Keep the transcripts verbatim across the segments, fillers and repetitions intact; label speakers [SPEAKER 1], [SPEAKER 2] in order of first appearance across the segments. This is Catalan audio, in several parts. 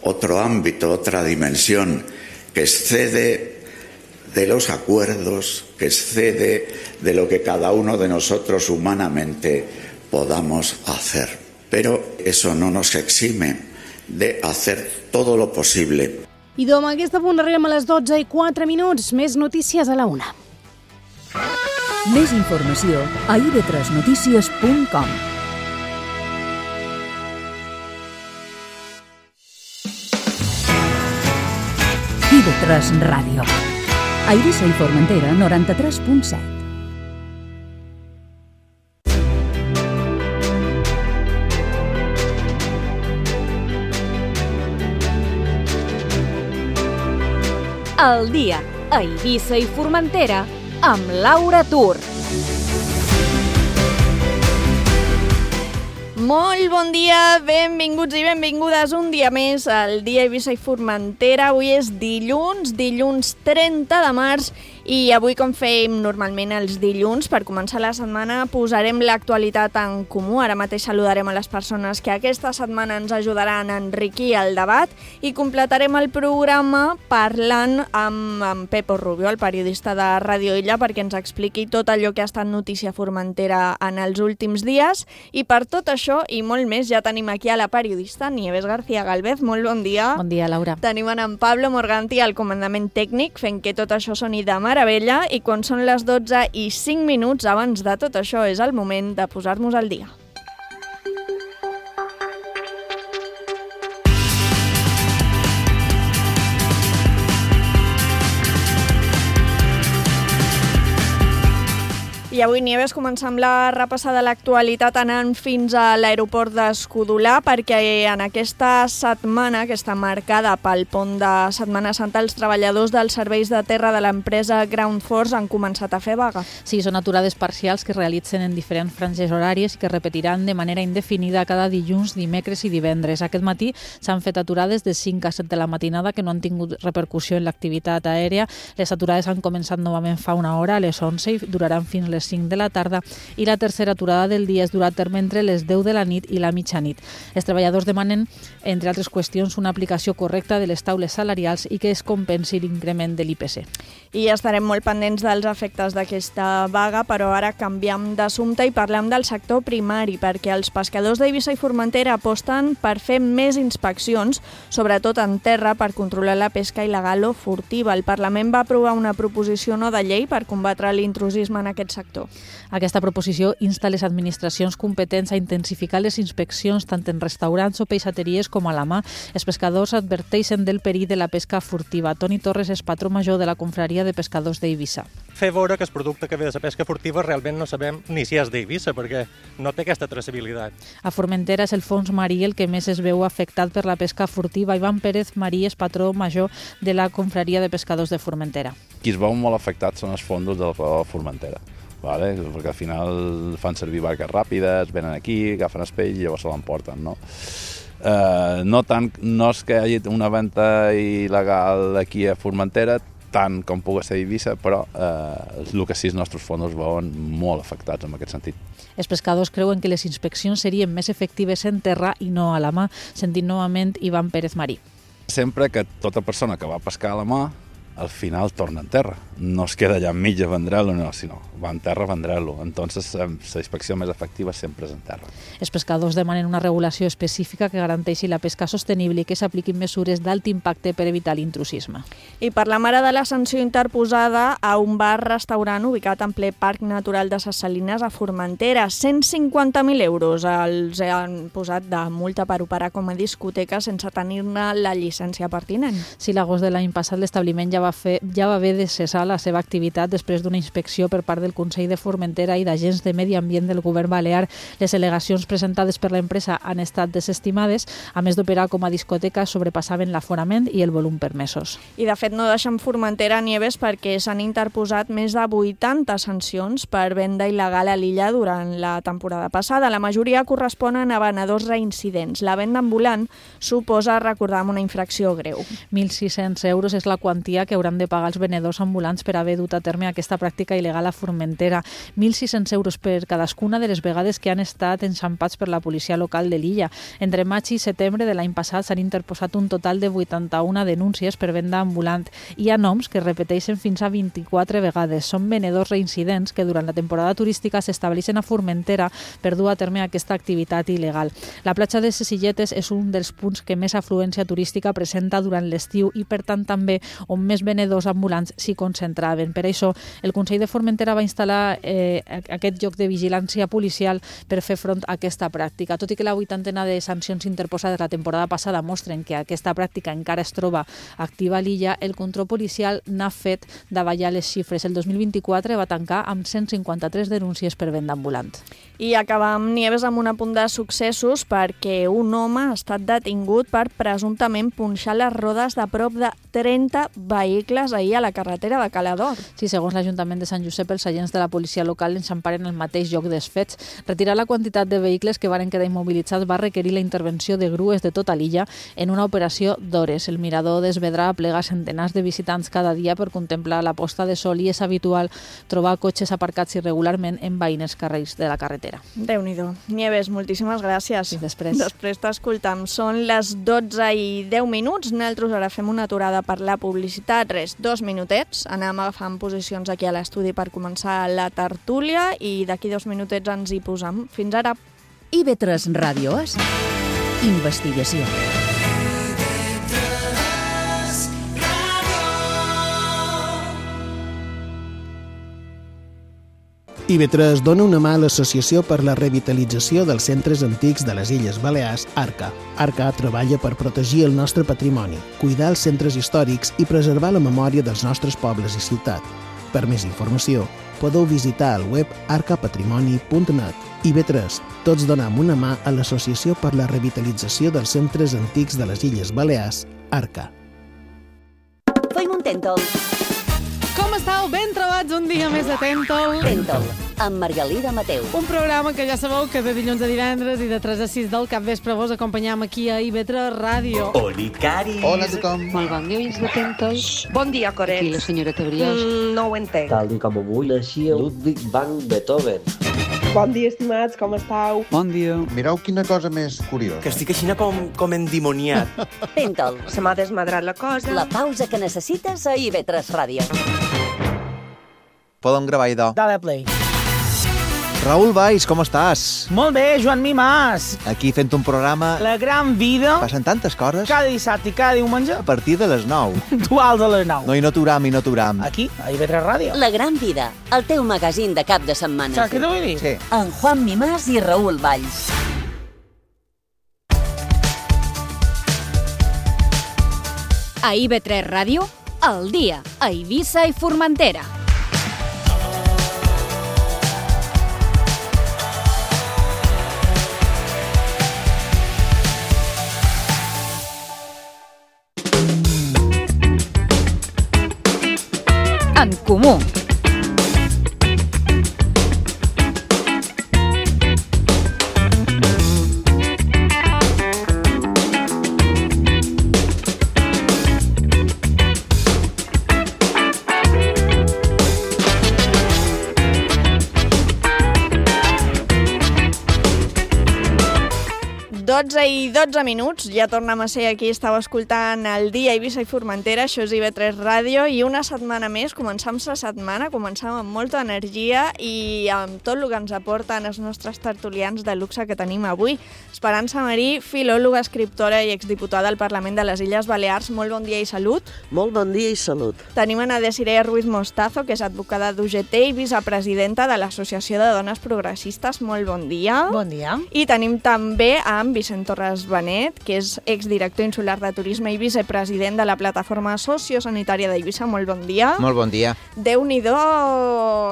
[SPEAKER 1] otro ámbito, otra dimensión que excede de los acuerdos, que excede de lo que cada uno de nosotros humanamente podamos hacer. Pero eso no nos exime de hacer todo lo possible.
[SPEAKER 2] I amb aquest punt arribem a les dotze i quatre minuts. Més notícies a la una.
[SPEAKER 3] Més informació a i ve tres notícies punt com. i ve tres Ràdio. A Eivissa i Formentera, noranta-tres punt set.
[SPEAKER 4] El dia a Eivissa i Formentera amb Laura Tur. Molt bon dia, benvinguts i benvingudes un dia més al dia Eivissa i Formentera. Avui és dilluns, dilluns trenta de març, i avui, com fem normalment els dilluns, per començar la setmana posarem l'actualitat en comú. Ara mateix saludarem a les persones que aquesta setmana ens ajudaran a enriquir el debat i completarem el programa parlant amb, amb Pepo Rubio, el periodista de Ràdio Illa, perquè ens expliqui tot allò que ha estat notícia a Formentera en els últims dies. I per tot això i molt més ja tenim aquí a la periodista Nieves García Galvez. Molt bon dia.
[SPEAKER 5] Bon dia, Laura.
[SPEAKER 4] Tenim en Pablo Morganti al comandament tècnic fent que tot això soni de meravella, i quan són les dotze i cinc minuts abans de tot això és el moment de posar-nos al dia. I avui, Nieves, començam la repassada de l'actualitat anant fins a l'aeroport d'Escudolà, perquè en aquesta setmana, que està marcada pel pont de Setmana Santa, els treballadors dels serveis de terra de l'empresa Ground Force han començat a fer vaga.
[SPEAKER 5] Sí, són aturades parcials que realitzen en diferents franges horàries i que repetiran de manera indefinida cada dilluns, dimecres i divendres. Aquest matí s'han fet aturades de cinc a set de la matinada que no han tingut repercussió en l'activitat aèria. Les aturades han començat novament fa una hora, a les onze, i duraran fins les cinc de la tarda, i la tercera aturada del dia es durà a terme entre les deu de la nit i la mitjanit. Els treballadors demanen, entre altres qüestions, una aplicació correcta de les taules salarials i que es compensi l'increment de l'I P C.
[SPEAKER 4] I estarem molt pendents dels efectes d'aquesta vaga, però ara canviem d'assumpte i parlem del sector primari, perquè els pescadors d'Eivissa i Formentera aposten per fer més inspeccions, sobretot en terra, per controlar la pesca il·legal o furtiva. El Parlament va aprovar una proposició no de llei per combatre l'intrusisme en aquest sector.
[SPEAKER 5] Aquesta proposició insta les administracions competents a intensificar les inspeccions tant en restaurants o peixateries com a la mà. Els pescadors adverteixen del perill de la pesca furtiva. Toni Torres és patró major de la Confraria de Pescadors d'Eivissa.
[SPEAKER 6] Fer veure que el producte que ve de la pesca furtiva realment no sabem ni si és d'Eivissa, perquè no té aquesta traçabilitat.
[SPEAKER 5] A Formentera és el fons marí el que més es veu afectat per la pesca furtiva. Ivan Pérez Marí és patró major de la Confraria de Pescadors de Formentera.
[SPEAKER 7] Qui es veu molt afectats són els fondos de la Formentera. Vale? Perquè al final fan servir barques ràpides, venen aquí, agafen el peix i llavors se l'emporten, no? Eh, no tant, no és que hi hagi una venda il·legal aquí a Formentera, tant com pugui ser a Eivissa, però eh, el que sí els nostres fons veuen molt afectats en aquest sentit.
[SPEAKER 5] Els pescadors creuen que les inspeccions serien més efectives en terra i no a la mà. Sentim novament Ivan Pérez Marí.
[SPEAKER 7] Sempre que tota persona que va pescar a la mà al final torna en terra. No es queda allà enmig a vendré-lo, no, sinó va en terra a vendré-lo. Entonces, la inspecció més efectiva sempre és en terra.
[SPEAKER 5] Els pescadors demanen una regulació específica que garanteixi la pesca sostenible i que s'apliquin mesures d'alt impacte per evitar l'intrusisme.
[SPEAKER 4] I parlem ara de la sanció interposada a un bar-restaurant ubicat en ple Parc Natural de Ses Salines a Formentera. cent cinquanta mil euros els han posat de multa per operar com a discoteca sense tenir-ne la llicència pertinent.
[SPEAKER 5] Sí, l'agost de l'any passat l'establiment ja va fer ja va haver de cessar la seva activitat després d'una inspecció per part del Consell de Formentera i d'agents de Medi Ambient del Govern Balear. Les al·legacions presentades per l'empresa han estat desestimades. A més d'operar com a discoteca, sobrepassaven l'aforament i el volum permesos.
[SPEAKER 4] I de fet no deixen Formentera, Nieves, perquè s'han interposat més de vuitanta sancions per venda il·legal a l'illa durant la temporada passada. La majoria corresponen a venedors reincidents. La venda ambulant suposa recordar una infracció greu.
[SPEAKER 5] mil sis-cents euros és la quantia que que hauran de pagar els venedors ambulants per haver dut a terme aquesta pràctica il·legal a Formentera. mil sis-cents euros per cadascuna de les vegades que han estat enxampats per la policia local de l'illa. Entre maig i setembre de l'any passat s'han interposat un total de vuitanta-una denúncies per venda ambulant. Hi ha noms que repeteixen fins a vint-i-quatre vegades. Són venedors reincidents que durant la temporada turística s'estableixen a Formentera per dur a terme aquesta activitat il·legal. La platja de ses Illetes és un dels punts que més afluència turística presenta durant l'estiu i, per tant, també on més venedors ambulants s'hi concentraven. Per això, el Consell de Formentera va instal·lar eh, aquest lloc de vigilància policial per fer front a aquesta pràctica. Tot i que la vuitantena de sancions interposades la temporada passada mostren que aquesta pràctica encara es troba activa a l'illa, el control policial n'ha fet davallar les xifres. El dos mil vint-i-quatre va tancar amb cent cinquanta-tres denúncies per venda ambulant.
[SPEAKER 4] I acabam, Nieves, amb un apunt de successos perquè un home ha estat detingut per presumptament punxar les rodes de prop de trenta vehicles ahir a la carretera de Calador.
[SPEAKER 5] Sí, segons l'Ajuntament de Sant Josep, els agents de la policia local enxamparen el mateix lloc dels fets. Retirar la quantitat de vehicles que varen quedar immobilitzats va requerir la intervenció de grues de tota l'illa en una operació d'hores. El mirador d'Esvedra aplega centenars de visitants cada dia per contemplar la posta de sol i és habitual trobar cotxes aparcats irregularment en veïnes carrers de la carretera.
[SPEAKER 4] Déu-n'hi-do. Nieves, moltíssimes gràcies.
[SPEAKER 5] I després.
[SPEAKER 4] Després t'escoltam. Són les dotze i deu minuts. Nosaltres ara fem una aturada per la publicitat. Res, dos minutets. Anem agafant posicions aquí a l'estudi per començar la tertúlia i d'aquí dos minutets ens hi posam. Fins ara.
[SPEAKER 3] I B tres Ràdio és investigació.
[SPEAKER 8] I B tres dona una mà a l'Associació per la Revitalització dels Centres Antics de les Illes Balears, ARCA. ARCA treballa per protegir el nostre patrimoni, cuidar els centres històrics i preservar la memòria dels nostres pobles i ciutat. Per més informació, podeu visitar el web arca patrimoni punt net. I B tres, tots donem una mà a l'Associació per la Revitalització dels Centres Antics de les Illes Balears, ARCA.
[SPEAKER 9] Feim un tèntol.
[SPEAKER 2] Com estàu? Ben trobats un dia més a Tèntol.
[SPEAKER 9] Tèntol, amb Margalida Mateu.
[SPEAKER 2] Un programa que ja sabeu que de dilluns a divendres i de tres a sis del capvespre vos acompanyam aquí a I B tres Ràdio.
[SPEAKER 10] Oli, Cari.
[SPEAKER 11] Hola a tothom.
[SPEAKER 12] Molt bon dia, veïns de Tèntol.
[SPEAKER 13] Bon dia, Coret.
[SPEAKER 12] Aquí la senyora Brioix.
[SPEAKER 13] Mm, no ho entenc.
[SPEAKER 14] Tal com avui naixia Ludwig van Beethoven.
[SPEAKER 13] Bon dia, estimats, com estàu?
[SPEAKER 11] Bon dia. Mireu quina cosa més curiosa.
[SPEAKER 10] Que estic així com, com endimoniat.
[SPEAKER 9] Tèntol.
[SPEAKER 13] Se m'ha desmadrat la cosa.
[SPEAKER 9] La pausa que necessites a I B tres Ràdio.
[SPEAKER 11] Podem gravar, idò.
[SPEAKER 15] Dale play.
[SPEAKER 11] Raül Valls, com estàs?
[SPEAKER 15] Molt bé, Joan Mimàs.
[SPEAKER 11] Aquí fent un programa...
[SPEAKER 15] La gran vida.
[SPEAKER 11] Passen tantes coses.
[SPEAKER 15] Cada dissabte i cada diumenge.
[SPEAKER 11] A partir de les nou.
[SPEAKER 15] Dual de les nou.
[SPEAKER 11] No, i no aturam, i no aturam.
[SPEAKER 15] Aquí, a I B tres Ràdio.
[SPEAKER 9] La gran vida, el teu magazín de cap de setmana.
[SPEAKER 15] Saps què t'ho vull dir?
[SPEAKER 11] Sí.
[SPEAKER 9] En Juan Mimàs i Raül Valls.
[SPEAKER 16] A I B tres Ràdio, al dia, a Eivissa i Formentera. En comú.
[SPEAKER 4] dotze i dotze minuts, ja tornem a ser aquí, estàu escoltant el dia Eivissa i Formentera, això és I B tres Ràdio, i una setmana més, començam la setmana, començam amb molta energia i amb tot el que ens aporten els nostres tertulians de luxe que tenim avui. Esperança Marí, filòloga, escriptora i exdiputada al Parlament de les Illes Balears, molt bon dia i salut.
[SPEAKER 17] Molt bon dia i salut.
[SPEAKER 4] Tenim a Desiree Ruiz Mostazo, que és advocada d'U G T i vicepresidenta de l'Associació de Dones Progressistes, molt bon dia.
[SPEAKER 18] Bon dia.
[SPEAKER 4] I tenim també amb Vicent Torres Benet, que és exdirector insular de Turisme i vicepresident de la plataforma sociosanitària d'Eivissa. Molt bon dia.
[SPEAKER 19] Molt bon dia.
[SPEAKER 4] Déu-n'hi-do,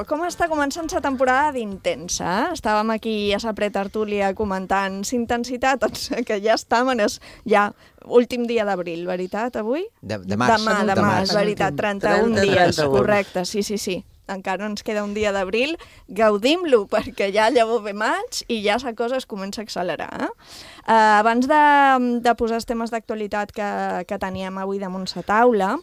[SPEAKER 4] com està començant la temporada d'Intensa? Eh? Estàvem aquí a la pretertúlia comentant intensitat, doncs que ja estem en el ja últim dia d'abril, veritat, avui?
[SPEAKER 19] De, de març.
[SPEAKER 4] Demà, demà,
[SPEAKER 19] demà,
[SPEAKER 4] és veritat, trenta-un dies, correcte, sí, sí, sí. encara ens queda un dia d'abril, gaudim-lo, perquè ja llavors ve maig i ja la cosa es comença a accelerar. Eh? Uh, abans de, de posar els temes d'actualitat que, que teníem avui damunt la taula,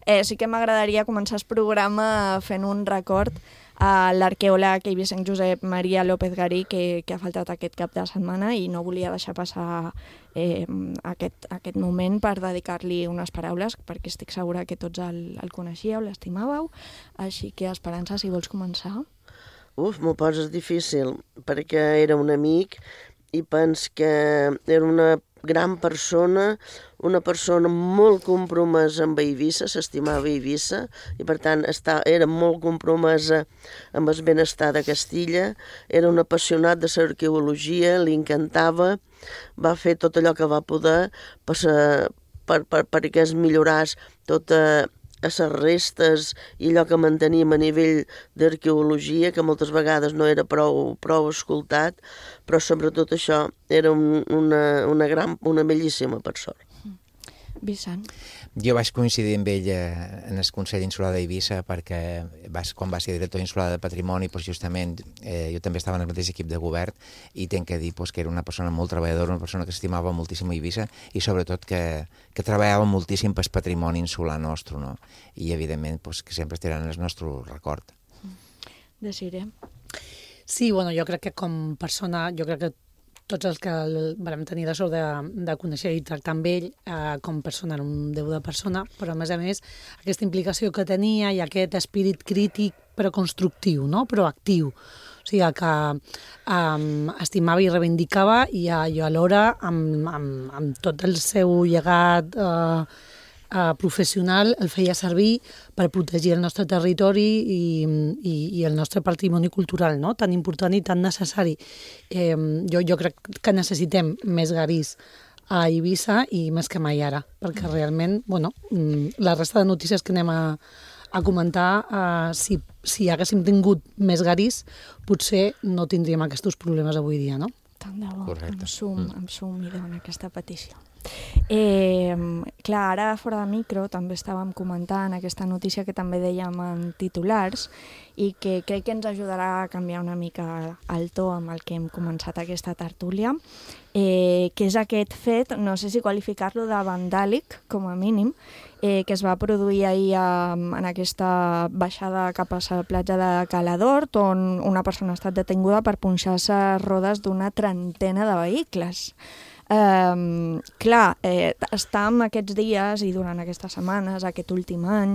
[SPEAKER 4] eh, sí que m'agradaria començar el programa fent un record a l'arqueòleg eivissenc Josep Maria López Garí, que, que ha faltat aquest cap de setmana i no volia deixar passar eh, aquest, aquest moment per dedicar-li unes paraules, perquè estic segura que tots el, el coneixíeu, l'estimàveu. Així que, Esperança, si vols començar.
[SPEAKER 17] Uf, m'ho poses difícil, perquè era un amic i pens que era una gran persona, una persona molt compromesa amb Eivissa, s'estimava Eivissa, i per tant està, era molt compromesa amb el benestar de Castilla, era un apassionat de l'arqueologia, li encantava, va fer tot allò que va poder per, per, per, perquè es milloràs tota a les restes i allò que manteníem a nivell d'arqueologia, que moltes vegades no era prou, prou escoltat, però sobretot això era un, una, una, gran, una bellíssima persona.
[SPEAKER 4] Vicent.
[SPEAKER 18] Jo vaig coincidir amb ell en el Consell Insular d'Eivissa perquè vas, quan va ser director insular de Patrimoni, doncs justament eh, jo també estava en el mateix equip de govern i tenc que dir doncs, que era una persona molt treballadora, una persona que estimava moltíssim Eivissa i sobretot que, que treballava moltíssim pel patrimoni insular nostre, no? I evidentment doncs, que sempre estaran en el nostre record.
[SPEAKER 4] Desiré.
[SPEAKER 19] Sí, bueno, jo crec que com persona, jo crec que tots els que vam tenir la sort de, de conèixer i tractar amb ell eh, com persona, era un déu de persona, però a més a més aquesta implicació que tenia i aquest espírit crític però constructiu, no? Però actiu. O sigui, que um, estimava i reivindicava i, uh, i alhora amb, amb, amb tot el seu llegat uh, uh, professional el feia servir per protegir el nostre territori i, i, i el nostre patrimoni cultural, no? Tan important i tan necessari. Eh, jo, jo crec que necessitem més Garís a Eivissa i més que mai ara, perquè realment, bueno, la resta de notícies que anem a, a comentar, uh, si, si haguéssim tingut més Garís, potser no tindríem aquests problemes avui dia, no?
[SPEAKER 4] Tant de bo,
[SPEAKER 18] correcte.
[SPEAKER 4] Em sum, em sum i dona aquesta petició. Eh, clar, ara fora de micro també estàvem comentant aquesta notícia que també dèiem en titulars i que crec que ens ajudarà a canviar una mica el to amb el que hem començat aquesta tertúlia, eh, que és aquest fet, no sé si qualificar-lo de vandàlic, com a mínim, eh, que es va produir ahir eh, en aquesta baixada cap a la platja de Cala d'Hort, on una persona ha estat detinguda per punxar-se rodes d'una trentena de vehicles. Um, clar, eh, estem aquests dies i durant aquestes setmanes, aquest últim any,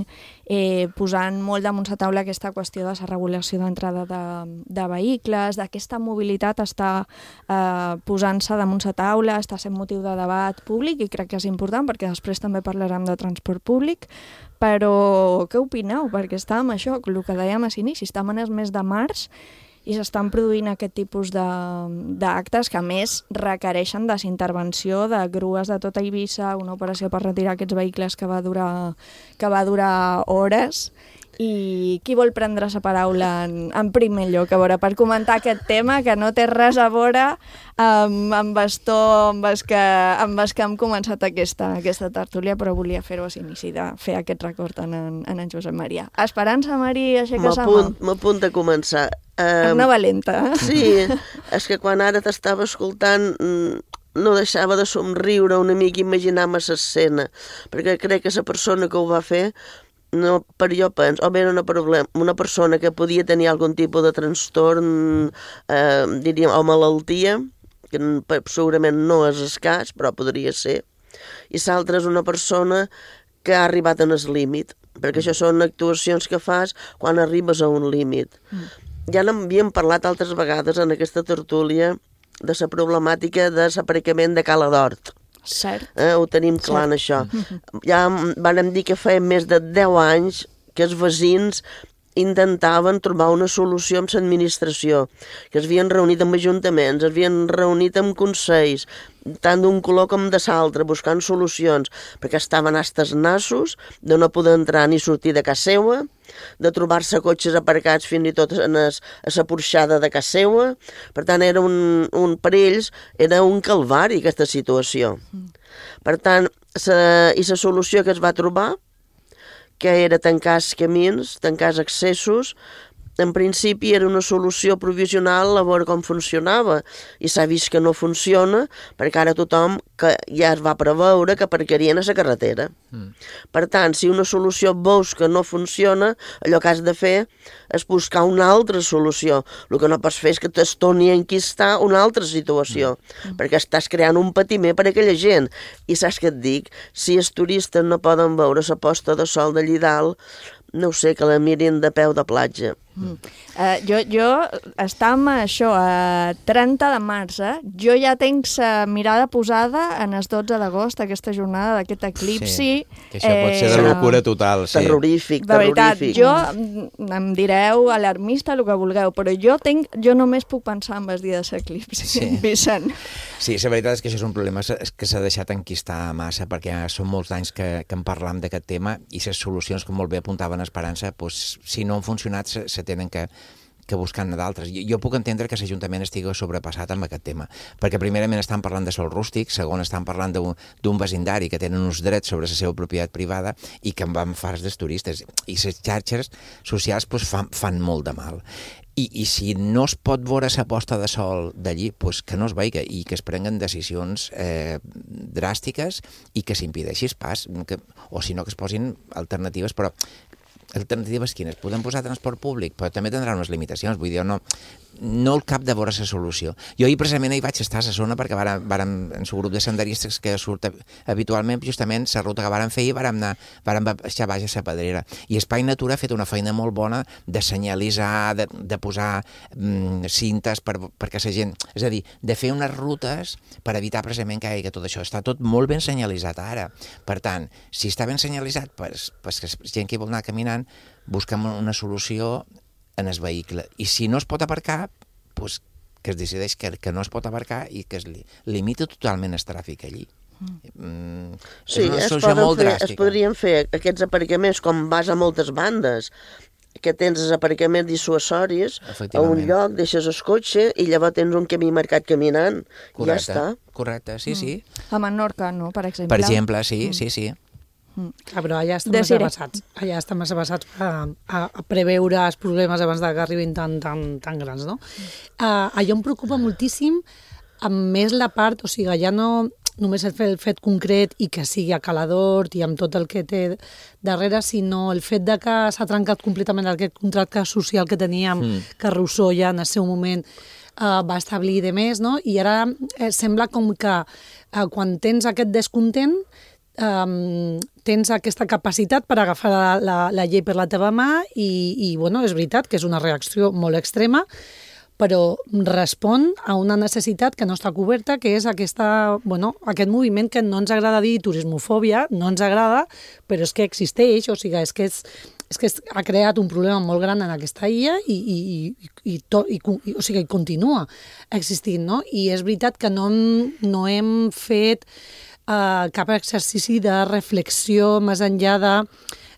[SPEAKER 4] eh, posant molt damunt la taula aquesta qüestió de la regulació d'entrada de, de vehicles, d'aquesta mobilitat està eh, posant-se damunt la taula, està sent motiu de debat públic i crec que és important perquè després també parlarem de transport públic, però què opineu? Perquè estàvem això, el que dèiem a l'inici, estem en el mes de març i s'estan produint aquest tipus d'actes que a més requereixen de la intervenció de grues de tota Eivissa, una operació per retirar aquests vehicles que va durar, que va durar hores. I qui vol prendre la paraula en, en primer lloc, a veure, per comentar aquest tema que no té res a veure amb, amb el to amb el que, amb el que hem començat aquesta, aquesta tertúlia, però volia fer-ho a l'inici de fer aquest record en, en, en en Josep Maria. Esperança, Mari, aixeca la mà.
[SPEAKER 17] M'apunt a començar.
[SPEAKER 4] Um, una valenta. Eh?
[SPEAKER 17] Sí, és que quan ara t'estava escoltant no deixava de somriure una mica, imaginar-me l'escena, perquè crec que la persona que ho va fer, no, per jo penso, o bé era una, problem, una persona que podia tenir algun tipus de trastorn, eh, diríem, o malaltia, que segurament no és escàs, però podria ser, i l'altra és una persona que ha arribat en el límit, perquè això són actuacions que fas quan arribes a un límit. Mm. Ja n'havíem parlat altres vegades en aquesta tertúlia de la problemàtica de l'aparcament de Cala d'Hort.
[SPEAKER 4] Cert.
[SPEAKER 17] Eh, ho tenim clar en això. Ja vam dir que feia més de deu anys que els veïns intentaven trobar una solució amb l'administració, que es havien reunit amb ajuntaments, es havien reunit amb consells, tant d'un color com de l'altre, buscant solucions, perquè estaven hasta els nassos de no poder entrar ni sortir de casa seva, de trobar-se cotxes aparcats fins i tot a la porxada de casa seva. Per tant, era un, un, per ells era un calvari aquesta situació. Per tant, sa, i la solució que es va trobar, que era tancar els camins, tancar els accessos, en principi era una solució provisional a veure com funcionava i s'ha vist que no funciona perquè ara tothom que ja es va preveure que aparcarien a la carretera. Mm. Per tant, si una solució veus que no funciona, allò que has de fer és buscar una altra solució. El que no pots fer és que t'es torni a enquistar una altra situació, mm. perquè estàs creant un patiment per a aquella gent. I saps què et dic? Si els turistes no poden veure la posta de sol d'allí dalt, no ho sé, que la mirin de peu de platja.
[SPEAKER 4] Mm. Uh, jo, jo estam això, a trenta de març, eh? Jo ja tenc la mirada posada en els dotze d'agost, aquesta jornada d'aquest eclipsi.
[SPEAKER 18] Sí, que això eh, pot ser de locura total. Sí.
[SPEAKER 17] Terrorífic,
[SPEAKER 4] de veritat,
[SPEAKER 17] terrorífic.
[SPEAKER 4] Jo em direu alarmista, el que vulgueu, però jo tenc, jo només puc pensar en el dia de l'eclipsi, sí. Vicent.
[SPEAKER 18] Sí, la veritat és que això és un problema que s'ha deixat enquistar massa, perquè són molts anys que, que en parlam d'aquest tema i les solucions, com molt bé apuntaven Esperança, doncs, si no han funcionat, se, se tenen que, que buscar d'altres. Jo, jo puc entendre que l'Ajuntament estigui sobrepassat amb aquest tema, perquè primerament estan parlant de sol rústic, segon estan parlant d'un vecindari que tenen uns drets sobre la seva propietat privada i que en van fars dels turistes. I les xarxes socials doncs, fan, fan molt de mal. I, I si no es pot veure la posta de sol d'allí, doncs que no es veiga i que es prenguen decisions eh, dràstiques i que s'impedeixi el pas, que, o si no que es posin alternatives, però alternatives quines? Podem posar transport públic, però també tindrà unes limitacions, vull dir, no, no el cap de veure la solució. Jo ahir precisament hi vaig estar a la zona perquè vàrem, vàrem, en el grup de senderistes que surt habitualment, justament la ruta que vàrem fer i vàrem anar, vàrem baixar baix a la Pedrera. I Espai Natura ha fet una feina molt bona de senyalitzar, de, de posar mm, cintes per, perquè la gent... És a dir, de fer unes rutes per evitar precisament que hi hagi tot això. Està tot molt ben senyalitzat ara. Per tant, si està ben senyalitzat, pues, pues que gent que vol anar caminant, busquem una solució en el vehicle. I si no es pot aparcar, pues, que es decideix que, que no es pot aparcar i que es li, limita totalment el tràfic allí. Mm,
[SPEAKER 17] sí,
[SPEAKER 18] és una
[SPEAKER 17] es,
[SPEAKER 18] solució molt
[SPEAKER 17] fer,
[SPEAKER 18] dràstica.
[SPEAKER 17] Es podrien fer aquests aparcaments com vas a moltes bandes, que tens els aparcaments dissuasoris a un lloc, deixes el cotxe i llavors tens un camí marcat caminant.
[SPEAKER 18] Correcte,
[SPEAKER 17] ja està.
[SPEAKER 18] Correcte, sí,
[SPEAKER 4] mm.
[SPEAKER 18] sí.
[SPEAKER 4] A Menorca, no?, per exemple.
[SPEAKER 18] Per exemple, sí, mm. sí, sí.
[SPEAKER 19] Mm. Ah, però allà estan més avançats. Allà estan més avançats a, a, a preveure els problemes abans que arribin tan, tan, tan grans, no? Mm. Uh, allò em preocupa moltíssim, amb més la part, o sigui, ja no només el fet, el fet concret i que sigui a Calador i amb tot el que té darrere, sinó el fet de que s'ha trencat completament aquest contracte social que teníem, mm. que Rousseau ja en el seu moment uh, va establir de més, no? I ara eh, sembla com que uh, quan tens aquest descontent Um, tens aquesta capacitat per agafar la, la, la llei per la teva mà i, i bueno, és veritat que és una reacció molt extrema, però respon a una necessitat que no està coberta, que és aquesta, bueno, aquest moviment que no ens agrada dir turismofòbia, no ens agrada, però és que existeix, o sigui, és que és, és que ha creat un problema molt gran en aquesta illa i, i, i, i, to, i, i, o sigui, continua existint, no? I és veritat que no, no hem fet Uh, cap exercici de reflexió més enllà de,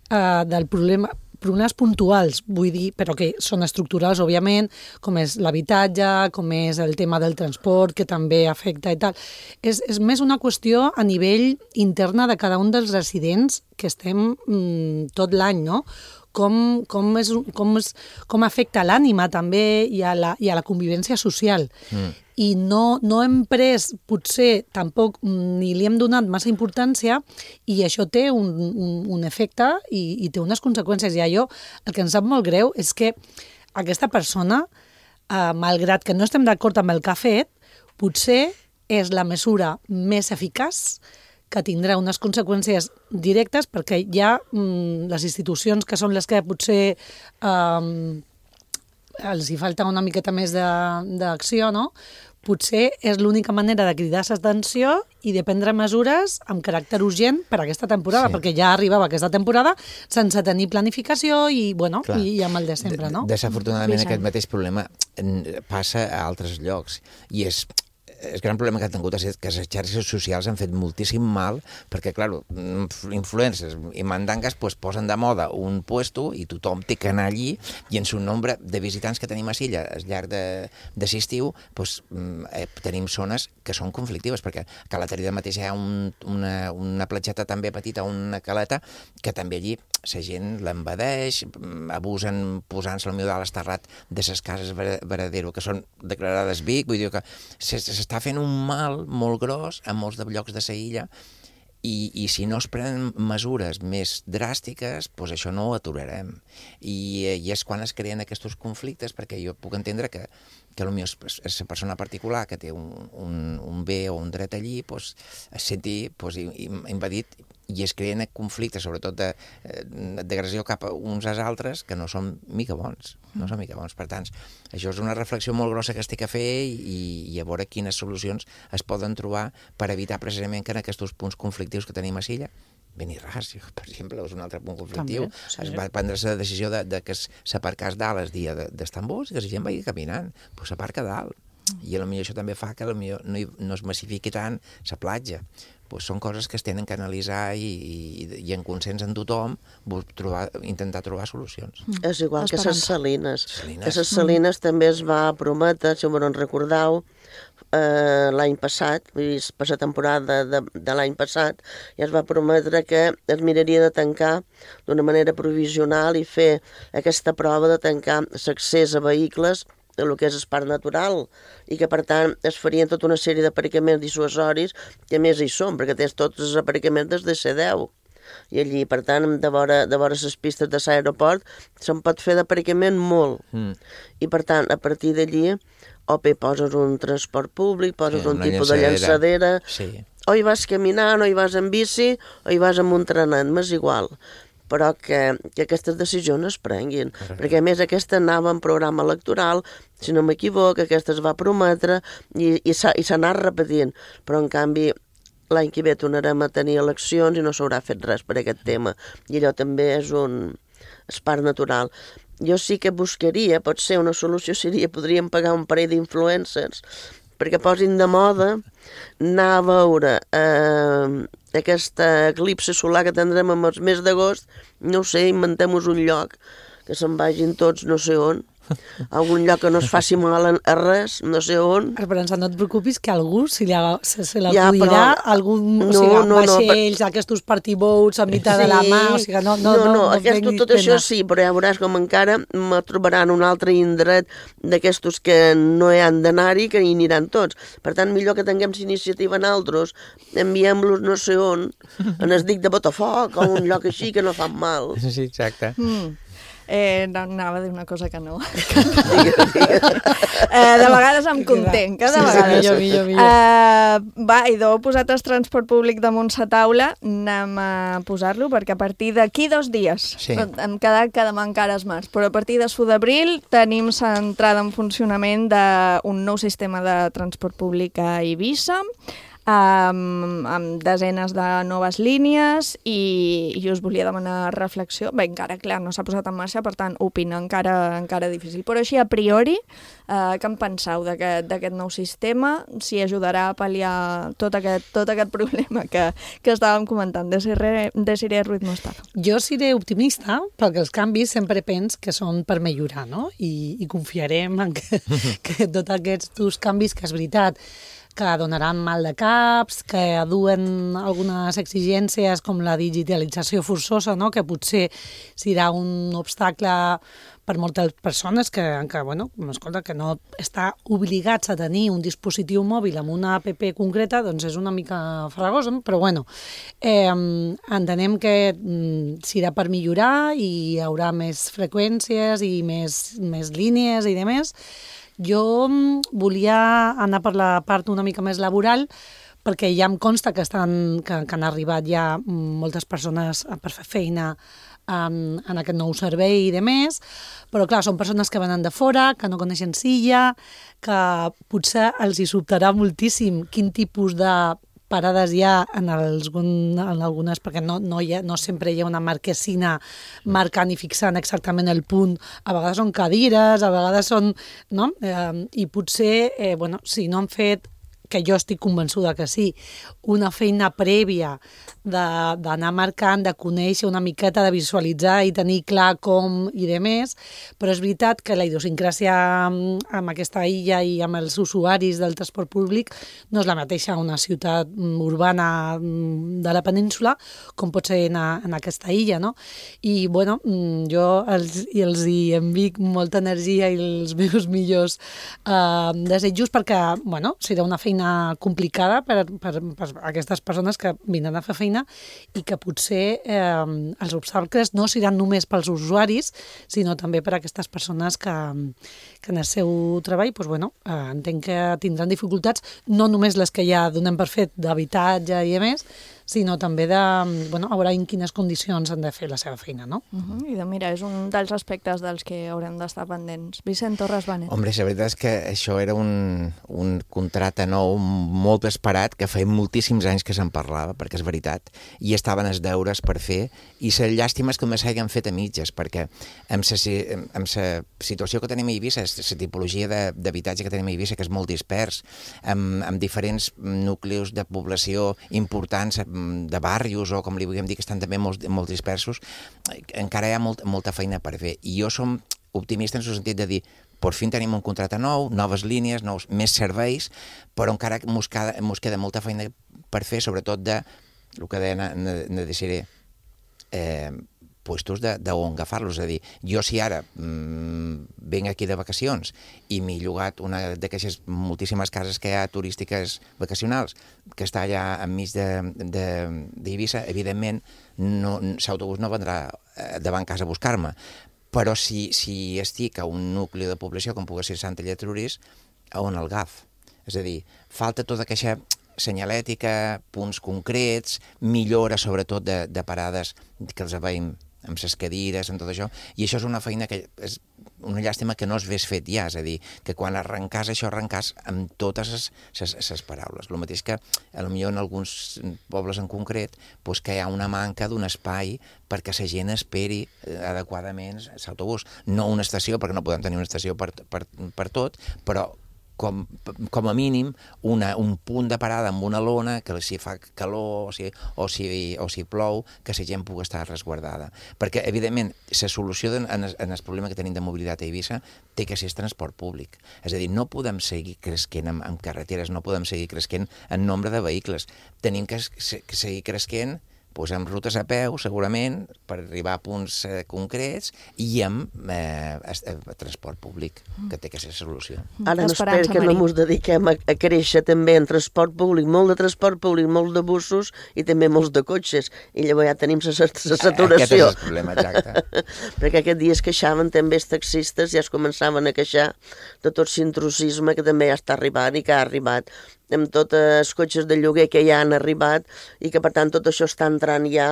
[SPEAKER 19] uh, del problema, problemes puntuals, vull dir, però que són estructurals, òbviament, com és l'habitatge, com és el tema del transport, que també afecta i tal. És, és més una qüestió a nivell interna de cada un dels residents que estem mm, tot l'any, no? Com, com, és, com, és, com afecta l'ànima també i a la, i a la convivència social. Mm. I no, no hem pres, potser tampoc ni li hem donat massa importància i això té un, un, un efecte i, i té unes conseqüències. I allò, el que ens sap molt greu és que aquesta persona, eh, malgrat que no estem d'acord amb el que ha fet, potser és la mesura més eficaç que tindrà unes conseqüències directes perquè hi ha mm, les institucions que són les que potser eh, els hi falta una miqueta més d'acció, no? Potser és l'única manera de cridar l'atenció i de prendre mesures amb caràcter urgent per a aquesta temporada, sí. perquè ja arribava aquesta temporada sense tenir planificació i, bueno, i, i amb el de sempre, no?
[SPEAKER 18] Desafortunadament aquest mateix problema passa a altres llocs i és... El gran problema que han tingut és que les xarxes socials han fet moltíssim mal perquè, clar, influencers i mandangues pues, posen de moda un puesto i tothom té que anar allí i en un nombre de visitants que tenim a Silla al llarg de, de l'estiu pues, eh, tenim zones que són conflictives perquè a Calaterida mateix hi ha un, una, una platgeta també petita, una caleta, que també allí la gent l'envadeix, abusen posant-se al millor dalt esterrat de les cases Veradero, que són declarades Vic, vull dir que s'està fent un mal molt gros a molts de llocs de la illa, I, i si no es prenen mesures més dràstiques, doncs això no ho aturarem. I, i és quan es creen aquests conflictes, perquè jo puc entendre que, que potser és la persona particular que té un, un, un bé o un dret allí, doncs, es senti doncs, invadit i es creen conflictes, sobretot d'agressió cap a uns als altres, que no són mica bons. No són mica bons. Per tant, això és una reflexió molt grossa que es té que fer i, i a veure quines solucions es poden trobar per evitar precisament que en aquests punts conflictius que tenim a Silla, Benirras, per exemple, és un altre punt conflictiu. També, sí. Es va prendre la decisió de, de que s'aparcés dalt el dia d'Estambul i que la gent vagi caminant. Doncs s'aparca dalt. I potser això també fa que potser no, no es massifiqui tant la platja. Pues són coses que es tenen que analitzar i, i, i en consens en tothom trobar, intentar trobar solucions.
[SPEAKER 17] Mm. És igual que les salines.
[SPEAKER 18] salines.
[SPEAKER 17] Que les salines mm. també es va prometre, si me no en recordeu, eh, l'any passat, vull dir, per la temporada de, de l'any passat, ja es va prometre que es miraria de tancar d'una manera provisional i fer aquesta prova de tancar l'accés a vehicles el que és el parc natural, i que, per tant, es farien tota una sèrie d'aparcaments dissuasoris, que a més hi són, perquè tens tots els aparcaments des de C deu. I allí, per tant, de vora, de vora les pistes de l'aeroport, se'n pot fer d'aparcament molt. Mm. I, per tant, a partir d'allí, o bé poses un transport públic, poses sí, un tipus llançadera. de llançadera, sí. o hi vas caminant, o hi vas en bici, o hi vas amb un trenat, m'és igual. Però que, que aquestes decisions es prenguin. Correcte. Perquè, a més, aquesta anava en programa electoral, si no m'equivoco, aquesta es va prometre i, i s'ha anat repetint. Però, en canvi, l'any que ve tornarem a tenir eleccions i no s'haurà fet res per aquest tema. I allò també és un és parc natural. Jo sí que buscaria, potser una solució seria, podríem pagar un parell d'influencers perquè posin de moda anar a veure eh, aquesta eclipse solar que tindrem en el mes d'agost, no sé, inventem-nos un lloc, que se'n vagin tots no sé on, algun lloc que no es faci mal a res, no sé on.
[SPEAKER 19] Esperança, no et preocupis que algú se, se, se l'acudirà, ja, algun, no, o sigui,
[SPEAKER 17] no,
[SPEAKER 19] vaixells,
[SPEAKER 17] no,
[SPEAKER 19] aquests party-boats a mitjà sí, de la mà, o sigui, no, no,
[SPEAKER 17] no, no,
[SPEAKER 19] no, no
[SPEAKER 17] aquest, tot
[SPEAKER 19] pena.
[SPEAKER 17] Això sí, però ja veuràs com encara me trobaran un altre indret d'aquestos que no hi han d'anar-hi, que hi aniran tots. Per tant, millor que tinguem iniciativa en altres, enviem-los no sé on, en es dic de Botafoc, o un lloc així que no fan mal.
[SPEAKER 18] Sí, exacte.
[SPEAKER 4] Mm. Eh, no, anava a dir una cosa que no. eh, de vegades em contenc, de
[SPEAKER 19] sí,
[SPEAKER 4] vegades.
[SPEAKER 19] Sí, millor, millor, millor.
[SPEAKER 4] Eh, va, idò, posat el transport públic damunt sa taula, anem a posar-lo, perquè a partir d'aquí dos dies,
[SPEAKER 18] sí.
[SPEAKER 4] hem quedat que demà encara és març, però a partir de l'u d'abril tenim l'entrada en funcionament d'un nou sistema de transport públic a Eivissa, amb, amb desenes de noves línies i, i us volia demanar reflexió. Bé, encara, clar, no s'ha posat en marxa, per tant, opina encara, encara difícil. Però així, a priori, eh, què en penseu d'aquest nou sistema? Si ajudarà a pal·liar tot aquest, tot aquest problema que, que estàvem comentant. Desiré Ruiz Mostaza.
[SPEAKER 19] Jo seré optimista, perquè els canvis sempre pens que són per millorar, no? I, i confiarem en que, que tots aquests canvis, que és veritat, que donaran mal de caps, que duen algunes exigències com la digitalització forçosa, no? Que potser serà un obstacle per moltes persones que, que, bueno, escolta, que no està obligats a tenir un dispositiu mòbil amb una app concreta, doncs és una mica farragosa, però bueno, eh, entenem que mm, serà per millorar i hi haurà més freqüències i més, més línies i demés. Jo volia anar per la part una mica més laboral perquè ja em consta que, estan, que, que han arribat ja moltes persones per fer feina en, en aquest nou servei i demés, però clar, són persones que venen de fora, que no coneixen Silla, que potser els hi sobtarà moltíssim quin tipus de parades hi ha en, els, en algunes, perquè no, no, hi ha, no sempre hi ha una marquesina marcant i fixant exactament el punt. A vegades són cadires, a vegades són... No? Eh, I potser, eh, bueno, si no han fet que jo estic convençuda que sí, una feina prèvia d'anar marcant, de conèixer una miqueta, de visualitzar i tenir clar com i de més, però és veritat que la idiosincràsia amb aquesta illa i amb els usuaris del transport públic no és la mateixa a una ciutat urbana de la península com pot ser en, a, en aquesta illa, no? I, bueno, jo els, els hi envic molta energia i els meus millors eh, desitjos perquè, bueno, serà una feina complicada per, per, per aquestes persones que vindran a fer feina i que potser eh, els obstacles no seran només pels usuaris, sinó també per a aquestes persones que, que en el seu treball, doncs, bueno, eh, entenc que tindran dificultats, no només les que ja donem per fet d'habitatge i a més, sinó també de, bueno, a veure en quines condicions han de fer la seva feina, no?
[SPEAKER 4] Uh-huh. I de, mira, és un dels aspectes dels que haurem d'estar pendents. Vicent Torres Benet.
[SPEAKER 18] Hombre, la veritat és que això era un, un contracte nou molt esperat, que feia moltíssims anys que se'n parlava, perquè és veritat, i estaven els deures per fer, i la llàstima és que només s'hagin fet a mitges, perquè amb la situació que tenim a Eivissa, la tipologia d'habitatge que tenim a Eivissa, que és molt dispers, amb, amb diferents nuclis de població importants, de barrios o com li vulguem dir, que estan també molt, molt dispersos, encara hi ha molt, molta feina per fer. I jo som optimista en el sentit de dir, per fi tenim un contracte nou, noves línies, nous, més serveis, però encara mos queda, mos queda molta feina per fer, sobretot de, el que deia na Desiré, eh, puestos d'on agafar-los. És a dir, jo si ara mmm, venc aquí de vacacions i m'he llogat una d'aquestes moltíssimes cases que hi ha turístiques vacacionals, que està allà enmig d'Eivissa, evidentment no, l'autobús no vendrà davant casa a buscar-me. Però si, si estic a un nucli de població com pugui ser Sant Lletrurís, a on el agaf? És a dir, falta tota aquesta senyalètica, punts concrets, millora sobretot de, de parades que els veiem amb les cadires, amb tot això, i això és una feina que és una llàstima que no es hagués fet ja, és a dir, que quan arrencàs això arrencàs amb totes les paraules. El mateix que, potser en alguns pobles en concret, doncs que hi ha una manca d'un espai perquè la gent esperi adequadament l'autobús. No una estació, perquè no podem tenir una estació per, per, per tot, però Com, com a mínim una, un punt de parada amb una lona que si fa calor o si, o si, o si plou, que la gent pugui estar resguardada. Perquè, evidentment, la solució en, en el problema que tenim de mobilitat a Eivissa té que ser el transport públic. És a dir, no podem seguir creixent en, en carreteres, no podem seguir creixent en nombre de vehicles. Tenim que, que seguir creixent doncs amb rutes a peu, segurament, per arribar a punts eh, concrets, i amb eh, transport públic, que té que ser solució.
[SPEAKER 17] Ara no espero que no ens dediquem a, a créixer també en transport públic, molt de transport públic, molt de bussos i també molts de cotxes, i llavors ja tenim la saturació.
[SPEAKER 18] Aquest és el problema, exacte.
[SPEAKER 17] Perquè aquest dia es queixaven també els taxistes, ja es començaven a queixar de tot l'intrusisme que també ja està arribant i que ha arribat amb tots els cotxes de lloguer que ja han arribat i que per tant tot això està entrant ja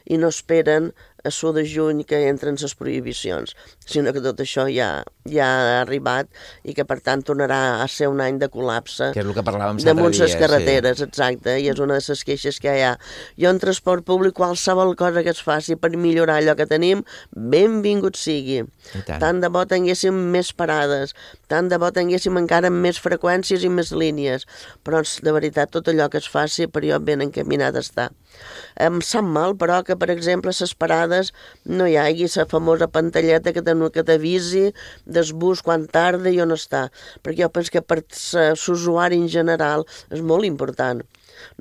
[SPEAKER 17] i no esperen a l'u de juny que entren les prohibicions, sinó que tot això ja, ja ha arribat i que per tant tornarà a ser un any de col·lapse
[SPEAKER 18] que és el que parlàvem
[SPEAKER 17] damunt les carreteres,
[SPEAKER 18] sí.
[SPEAKER 17] Exacte, i és una de les queixes que hi ha. Jo en transport públic, qualsevol cosa que es faci per millorar allò que tenim, benvingut sigui. Tant. tant de bo tinguéssim més parades, tant de bo tinguéssim encara més freqüències i més línies, però de veritat tot allò que es faci per jo ben encaminat està. Em sap mal, però, que per exemple les parades no hi hagi la famosa pantalleta que t'avisi del bus quan tarda i on està, perquè jo penso que per l'usuari en general és molt important.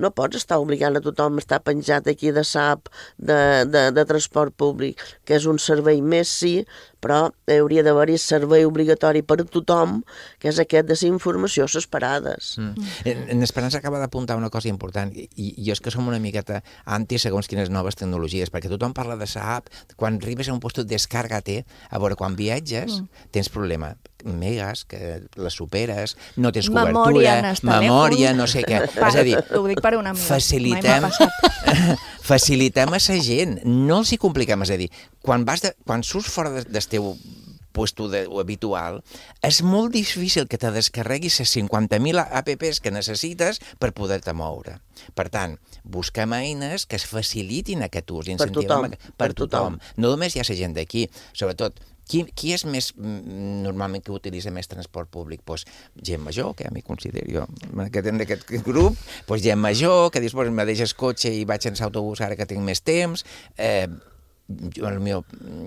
[SPEAKER 17] No pots estar obligant a tothom a estar penjat aquí de S A P, de, de, de transport públic, que és un servei més, sí, però hauria d'haver-hi servei obligatori per a tothom, que és aquest de la informació a les parades.
[SPEAKER 18] Mm. En, en Esperança acaba d'apuntar una cosa important, i, i és que som una miqueta anti segons quines noves tecnologies, perquè tothom parla de la app, quan arribes a un lloc, descarga-te, a veure, quan viatges, mm. tens problema. Megas, que les superes, no tens
[SPEAKER 4] memòria
[SPEAKER 18] cobertura, memòria, no sé què.
[SPEAKER 4] Pa,
[SPEAKER 18] és a dir,
[SPEAKER 4] ho dic per una amiga.
[SPEAKER 18] Facilitem, facilitem a la gent, no els hi compliquem, és a dir, quan, vas de, quan surts fora del teu puesto de, habitual, és molt difícil que te descarreguis les cinquanta mil apps que necessites per poder-te moure. Per tant, busquem eines que es facilitin aquest ús.
[SPEAKER 17] Per tothom.
[SPEAKER 18] Per tothom. No només hi ha la gent d'aquí, sobretot qui, qui és més, normalment, que utilitza més transport públic? Doncs gent major, que ja m'hi considero jo, aquest, en aquest grup, doncs gent major, que dius, pues, me deixes cotxe i vaig en autobús ara que tinc més temps, eh, potser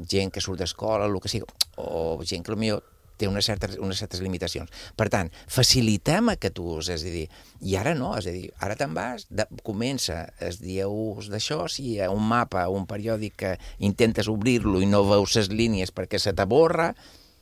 [SPEAKER 18] gent que surt d'escola, el que sigui, o gent que potser té unes certes, unes certes limitacions. Per tant, facilitem aquest ús, és a dir, i ara no, és a dir, ara te'n vas, de, comença el dia ús d'això, si hi ha un mapa, un periòdic que intentes obrir-lo i no veus les línies perquè se t'aborra,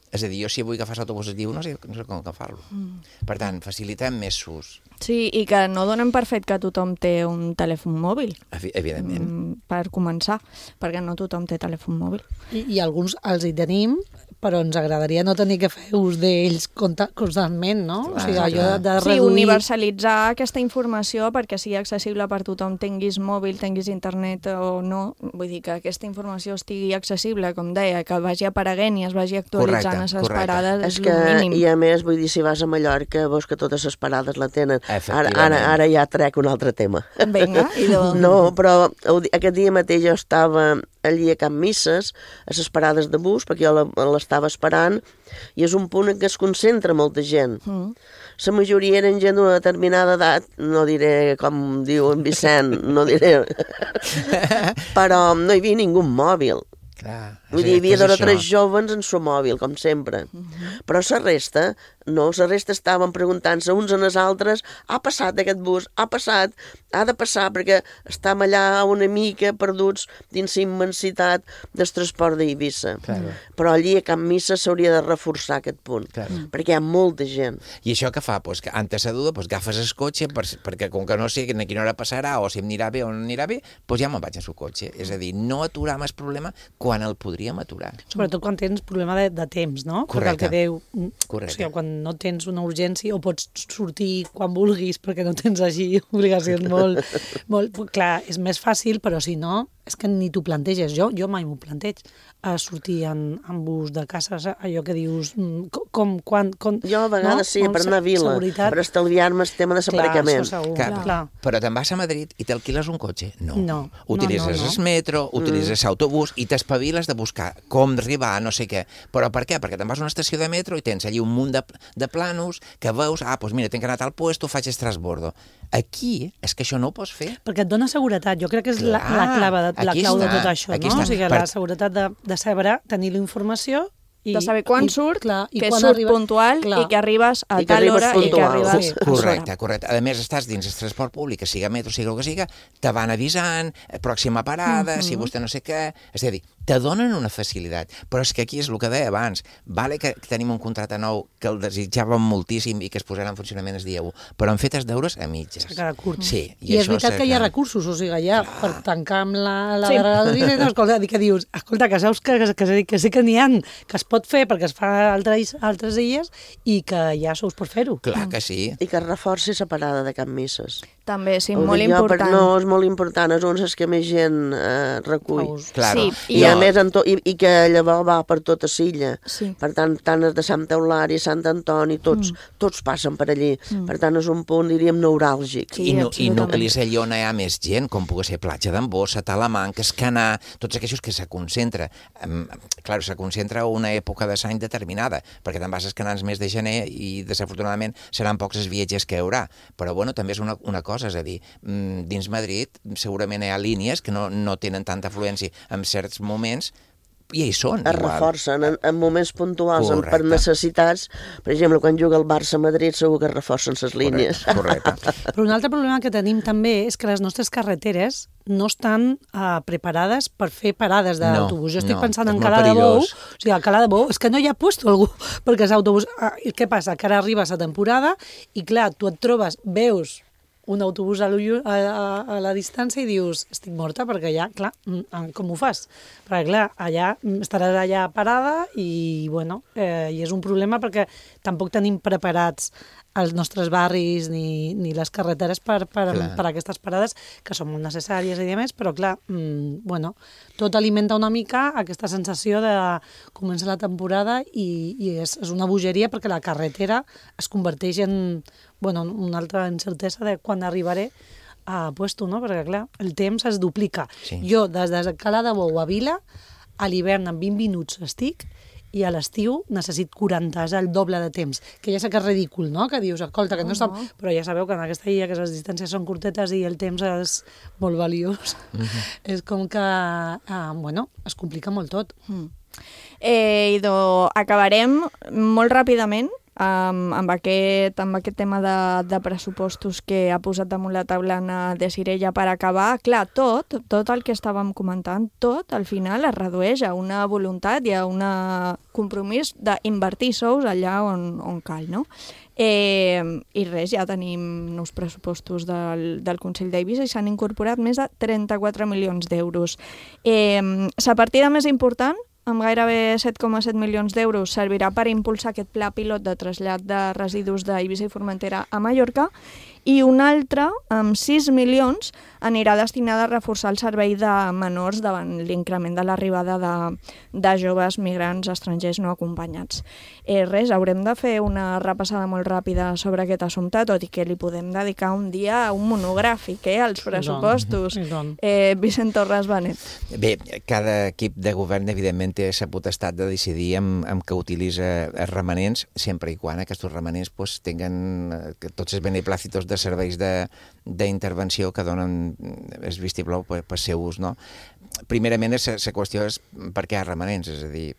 [SPEAKER 18] és a dir, jo si vull agafar l'autobús es diu, no sé, no sé com agafar-lo. Mm. Per tant, facilitem més ús.
[SPEAKER 4] Sí, i que no donen per fet que tothom té un telèfon mòbil.
[SPEAKER 18] Evidentment.
[SPEAKER 4] Mm, per començar, perquè no tothom té telèfon mòbil.
[SPEAKER 19] I, i alguns els hi tenim, però ens agradaria no tenir que fer ús d'ells constantment, no? Clar, o sigui, allò de, de reduir...
[SPEAKER 4] Sí, universalitzar aquesta informació perquè sigui accessible per tothom, tinguis mòbil, tinguis internet o no. Vull dir que aquesta informació estigui accessible, com deia, que vagi apareguent i es vagi actualitzant a les parades, és el mínim.
[SPEAKER 17] I a més, vull dir, si vas a Mallorca, veus que totes les parades la tenen. Ara, ara, ara ja trec un altre tema.
[SPEAKER 4] Vinga, i d'on?
[SPEAKER 17] No, però aquest dia mateix jo estava allí a Can Misses, a les parades de bus, perquè jo l'estava esperant, i és un punt en què es concentra molta gent. Mm. La majoria eren gent d'una determinada edat, no diré com diu en Vicent, no diré, però no hi havia ningú mòbil.
[SPEAKER 18] Clar,
[SPEAKER 17] Vull dir, hi havia dos o tres jovens en su mòbil, com sempre. Mm-hmm. Però la resta, no, la resta estaven preguntant-se uns en els altres, ha passat aquest bus, ha passat, ha de passar, perquè estàvem allà una mica perduts dins la immensitat del transport d'Eivissa. Claro. Però allí a Can Misses s'hauria de reforçar aquest punt, claro. Perquè hi ha molta gent.
[SPEAKER 18] I això què fa? Pues que antes de duda, pues agafes el cotxe, per, perquè com que no sé a quina hora passarà, o si em anirà bé o no anirà bé, pues ja me'n vaig en el cotxe. És a dir, no aturar el problema quan el podríem aturar.
[SPEAKER 19] Sobretot quan tens problema de, de temps, no?
[SPEAKER 18] Correcte.
[SPEAKER 19] Perquè el que deu...
[SPEAKER 18] Correcte.
[SPEAKER 19] O sigui, quan no tens una urgència o pots sortir quan vulguis perquè no tens així obligacions molt... molt clar, és més fàcil, però si no, és que ni t'ho planteges. Jo, jo mai m'ho planteig a sortir en, en bus de casa, allò que dius com, quan... Com,
[SPEAKER 17] jo a vegades no? sí, per anar a Vila, seguretat. Per estalviar-me el tema de l'aparcament.
[SPEAKER 18] Clar, clar. Però te'n vas a Madrid i t'alquiles un cotxe? No.
[SPEAKER 19] No.
[SPEAKER 18] Utilitzes
[SPEAKER 19] no, no, no.
[SPEAKER 18] el metro, utilitzes mm. autobús i t'espaviles de buscar com arribar a no sé què. Però per què? Perquè te'n vas a una estació de metro i tens allí un munt de, de planos que veus, ah, doncs mira, tinc que anar a tal puesto, faig el transbordo. Aquí és que això no ho pots fer.
[SPEAKER 19] Perquè et dona seguretat. Jo crec que és clar, la, la, clave de, la clau està, de tot això, no? Està. O sigui, per... la seguretat de, de saber, tenir la informació i,
[SPEAKER 4] de saber quan
[SPEAKER 19] i,
[SPEAKER 4] surt,
[SPEAKER 19] clar, i
[SPEAKER 4] que
[SPEAKER 19] quan
[SPEAKER 4] surt
[SPEAKER 19] arriba...
[SPEAKER 4] puntual
[SPEAKER 19] clar.
[SPEAKER 4] I que arribes a
[SPEAKER 17] I
[SPEAKER 4] tal hora
[SPEAKER 17] puntual.
[SPEAKER 4] I que arribes
[SPEAKER 18] sí. Correcte, correcte. A més, estàs dins el transport públic, que siga metro, siga el que siga, te van avisant, pròxima parada, uh-huh. si vostè no sé què... És a dir, te donen una facilitat, però és que aquí és el que deia abans. Vale que tenim un contracte nou que el desitjàvem moltíssim i que es posarà en funcionament el dia u, però han fet els deures a mitges.
[SPEAKER 19] S'ha quedat curt.
[SPEAKER 18] Sí.
[SPEAKER 19] I, I és veritat que hi ha recursos, o sigui, ja clar. Per tancar amb la, la
[SPEAKER 4] sí.
[SPEAKER 19] darrera no, escolta, que dius, escolta, que saps que, que, que, que sí que n'hi ha, que es pot fer perquè es fa a altres, altres illes i que ja sous per fer-ho.
[SPEAKER 18] Clar que sí.
[SPEAKER 17] I que es reforci la parada de Can Misses.
[SPEAKER 4] També, sí,
[SPEAKER 17] ho
[SPEAKER 4] molt important.
[SPEAKER 17] No, és molt important, és on és que més gent eh, recull.
[SPEAKER 18] Claro.
[SPEAKER 17] Sí, I a més, en to, i, i que llavors va per tota l'illa.
[SPEAKER 4] Sí.
[SPEAKER 17] Per tant, tant els de Sant Eulari, Sant Antoni, tots, mm. tots passen per allí. Mm. Per tant, és un punt, diríem, neuràlgic.
[SPEAKER 18] Sí, I, no, I nuclis allà on hi ha més gent, com pugui ser Platja d'en Bossa, Talamanca, Escanar, tots aquells que se concentra. Um, clar, se concentra a una època de l'any determinada, perquè te'n vas a Escanar el mes de gener i, desafortunadament, seran pocs els viatges que hi haurà. Però, bueno, també és una, una cosa, és a dir, dins Madrid segurament hi ha línies que no, no tenen tanta afluència en certs moments, i hi són.
[SPEAKER 17] Es igual. Reforcen en, en moments puntuals, en, per necessitats. Per exemple, quan juga el Barça a Madrid segur que es reforcen les línies.
[SPEAKER 18] Correcte, correcte.
[SPEAKER 19] Però un altre problema que tenim també és que les nostres carreteres no estan uh, preparades per fer parades d'autobús.
[SPEAKER 18] No,
[SPEAKER 19] jo estic
[SPEAKER 18] no,
[SPEAKER 19] pensant en Cala de Bou, o sigui, a Cala de Bou és que no hi ha puesto algú, perquè és autobús... Uh, què passa? Que ara arriba la temporada i clar, tu et trobes, veus un autobús a, a, a la distància i dius, estic morta, perquè allà, clar, com ho fas? Perquè, clar, allà estaràs allà parada i, bueno, eh, i és un problema perquè tampoc tenim preparats els nostres barris ni, ni les carreteres per, per, per aquestes parades, que són molt necessàries i més, però, clar, mmm, bueno, tot alimenta una mica aquesta sensació de començar la temporada i, i és, és una bogeria perquè la carretera es converteix en, bueno, una altra incertesa de quan arribaré a puesto, no? Perquè, clar, el temps es duplica. Sí. Jo, des de Cala de Bou a Vila, a l'hivern en vint minuts estic i a l'estiu necessit quaranta, és el doble de temps. Que ja sé que és ridícul, no?, que dius, escolta, que no està... Però ja sabeu que en aquesta illa que les distàncies són curtetes i el temps és molt valiós. Mm-hmm. És com que, eh, bueno, es complica molt tot.
[SPEAKER 4] Mm. Eh, idò, acabarem molt ràpidament amb, amb, aquest, amb aquest tema de, de pressupostos que ha posat damunt la taula Anna Desiré ja per acabar. Clar, tot, tot el que estàvem comentant, tot al final es redueix a una voluntat i a un compromís d'invertir sous allà on, on cal, no? Eh, I res, ja tenim nous pressupostos del, del Consell d'Eivissa i s'han incorporat més de trenta-quatre milions d'euros. Eh, la partida més important, amb gairebé set coma set milions d'euros, servirà per impulsar aquest pla pilot de trasllat de residus d'Eivissa i Formentera a Mallorca, i un altre, amb sis milions, anirà destinada a reforçar el servei de menors davant l'increment de l'arribada de, de joves migrants estrangers no acompanyats. Eh, res, haurem de fer una repassada molt ràpida sobre aquest assumpte, tot i que li podem dedicar un dia a un monogràfic, eh, als pressupostos. Eh, Vicent Torres Benet.
[SPEAKER 18] Bé, cada equip de govern, evidentment, té la potestat de decidir amb, amb què utilitza els remanents, sempre i quan aquests remanents pues, tinguen eh, tots els beneplàcitos de serveis d'intervenció que donen el vistiplau per, per seu ús, no? Primerament, la qüestió és per què hi ha remanents, és a dir,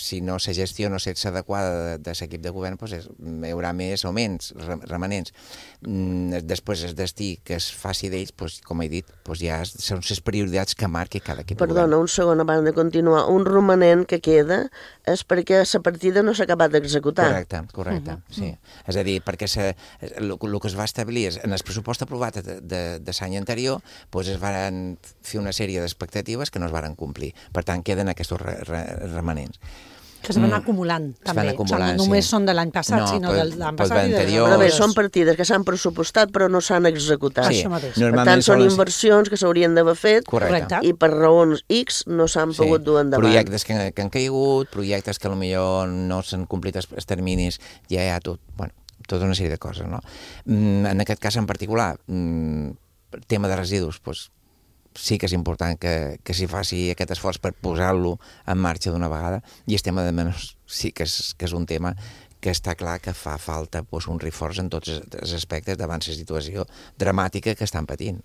[SPEAKER 18] si no la gestió no és adequada de, de l'equip de govern, doncs és, hi haurà més o menys remanents. Després, el destí que es faci d'ells, doncs, com he dit, doncs ja són les prioritats que marqui cada equip de govern.
[SPEAKER 17] Perdona, un segon abans de continuar. Un romanent que queda és perquè la partida no s'ha acabat d'executar.
[SPEAKER 18] Correcte, correcte, uh-huh. sí. És a dir, perquè el que es va establir és, en el pressupost aprovat de, de, de l'any anterior, doncs es van fer una sèrie d'expectatives que no es varen complir. Per tant, queden aquests re, re, remanents.
[SPEAKER 19] Que es van mm. acumulant, també.
[SPEAKER 18] Van acumulant,
[SPEAKER 19] o sigui, no només
[SPEAKER 18] sí.
[SPEAKER 19] són de l'any passat,
[SPEAKER 18] no,
[SPEAKER 19] sinó
[SPEAKER 18] pel,
[SPEAKER 19] de l'any passat i de l'any
[SPEAKER 17] Però bé, són partides que s'han pressupostat però no s'han executat.
[SPEAKER 19] Sí.
[SPEAKER 17] Per tant, són les... inversions que s'haurien d'haver fet
[SPEAKER 18] Correcte.
[SPEAKER 17] I per raons X no s'han sí. pogut dur endavant.
[SPEAKER 18] Projectes que, que han caigut, projectes que potser no s'han complit els, els terminis, ja hi ha tot, bueno, tota una sèrie de coses, no? En aquest cas en particular, tema de residus, doncs, sí que és important que, que s'hi faci aquest esforç per posar-lo en marxa d'una vegada, i el tema de menys sí que és, que és un tema que està clar que fa falta doncs, un reforç en tots els aspectes davant la situació dramàtica que estan patint.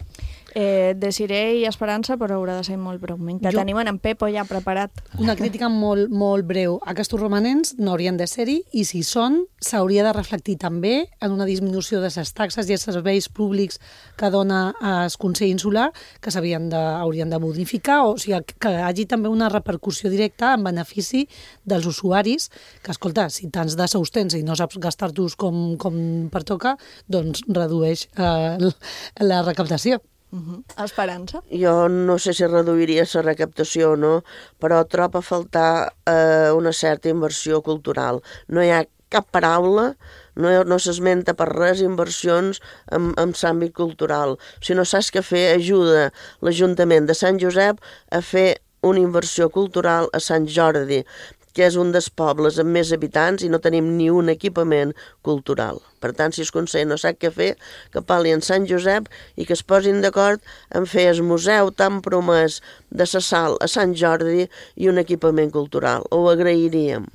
[SPEAKER 4] Eh, Desiré i Esperança, però haurà de ser molt breument, que jo... tenim en Pepo ja preparat.
[SPEAKER 19] Una crítica molt, molt breu. Aquests romanents no haurien de ser-hi, i si són, s'hauria de reflectir també en una disminució de les taxes i els serveis públics que dona el Consell Insular, que s'haurien de, haurien de modificar, o sigui, que hi hagi també una repercussió directa en benefici dels usuaris, que, escolta, si tants de sous tens i no saps gastar-los com, com pertoca, doncs redueix eh, la recaptació.
[SPEAKER 4] Uh-huh. Esperança?
[SPEAKER 17] Jo no sé si reduiria la recaptació o no, però trobo a faltar eh, una certa inversió cultural. No hi ha cap paraula, no, no s'esmenta per res inversions en, en l'àmbit cultural. Si no saps què fer, ajuda l'Ajuntament de Sant Josep a fer una inversió cultural a Sant Jordi, que és un dels pobles amb més habitants i no tenim ni un equipament cultural. Per tant, si el Consell no sap què fer, que parli en Sant Josep i que es posin d'acord en fer el museu tan promès de la Sal a Sant Jordi i un equipament cultural. Ho agrairíem.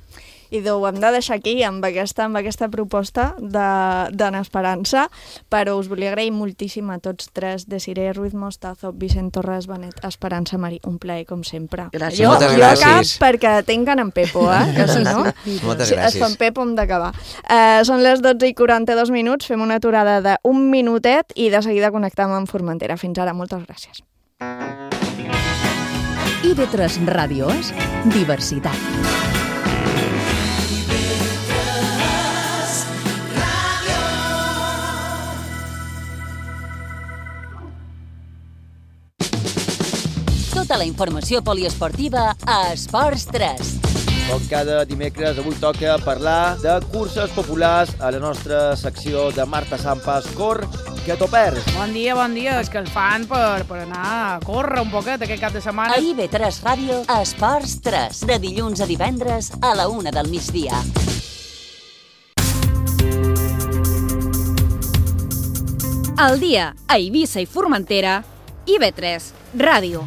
[SPEAKER 4] I ho hem de deixar aquí amb aquesta, amb aquesta proposta d'en Esperança, però us volia agrair moltíssim a tots tres, Desiré Ruiz Mostazo, Vicent Torres Benet, Esperança Marí, un plaer com sempre.
[SPEAKER 17] Gràcies.
[SPEAKER 4] Jo,
[SPEAKER 18] Moltes
[SPEAKER 4] jo
[SPEAKER 18] gràcies.
[SPEAKER 4] cap perquè tinc en Pepo, eh? Que si no,
[SPEAKER 18] Moltes
[SPEAKER 4] si
[SPEAKER 18] gràcies.
[SPEAKER 4] es fa en Pepo hem d'acabar. Eh, són les dotze i quaranta-dos minuts, fem una aturada d'un minutet i de seguida connectem amb Formentera. Fins ara, moltes gràcies.
[SPEAKER 3] I ve tres Ràdio és diversitat.
[SPEAKER 9] Tota la informació poliesportiva a Esports tres.
[SPEAKER 20] Com cada dimecres, avui toca parlar de curses populars a la nostra secció de Marta Sampas, Cor, que t'ho perds.
[SPEAKER 15] Bon dia, bon dia. És que el fan per, per anar a córrer un poquet aquest cap de setmana.
[SPEAKER 9] A I V tres Ràdio, Esports tres, de dilluns a divendres a la una del migdia.
[SPEAKER 16] Al dia, a Eivissa i Formentera, I V tres Ràdio.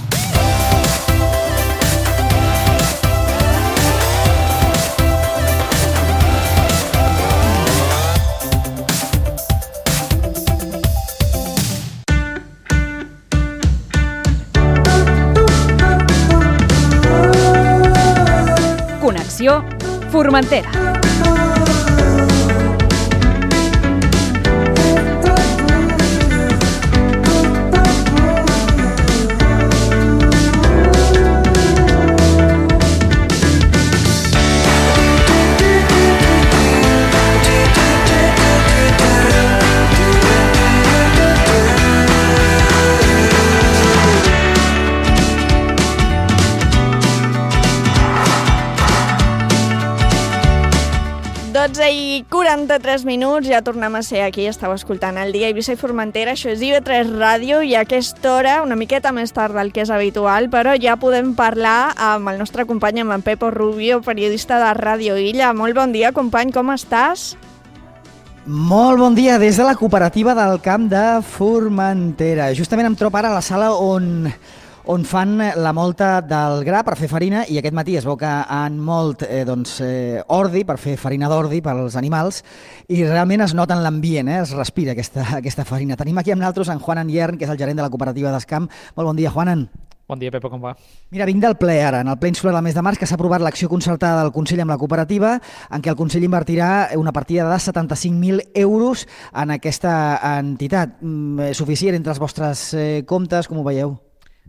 [SPEAKER 16] secció Formentera.
[SPEAKER 4] dotze i quaranta-tres minuts, ja tornem a ser aquí, estàu escoltant el dia Eivissa i Formentera, això és I V tres Ràdio, i a aquesta hora, una miqueta més tard del que és habitual, però ja podem parlar amb el nostre company, amb en Pepo Rubio, periodista de Ràdio Illa. Molt bon dia, company, com estàs?
[SPEAKER 21] Molt bon dia, des de la cooperativa del Camp de Formentera. Justament em trobo ara a la sala on... on fan la molta del gra per fer farina, i aquest matí es veu que han molt eh, doncs, eh, ordi per fer farina d'ordi per als animals, i realment es nota en l'ambient, eh, es respira aquesta, aquesta farina. Tenim aquí amb nosaltres en Juanan Iern, que és el gerent de la cooperativa d'Escamp. Molt bon dia, Juanan.
[SPEAKER 22] Bon dia, Pepo, com va?
[SPEAKER 21] Mira, vinc del ple ara, en el ple insular del mes de març, que s'ha aprovat l'acció concertada del Consell amb la cooperativa, en què el Consell invertirà una partida de setanta-cinc mil euros en aquesta entitat. Mm, suficient entre els vostres eh, comptes, com ho veieu?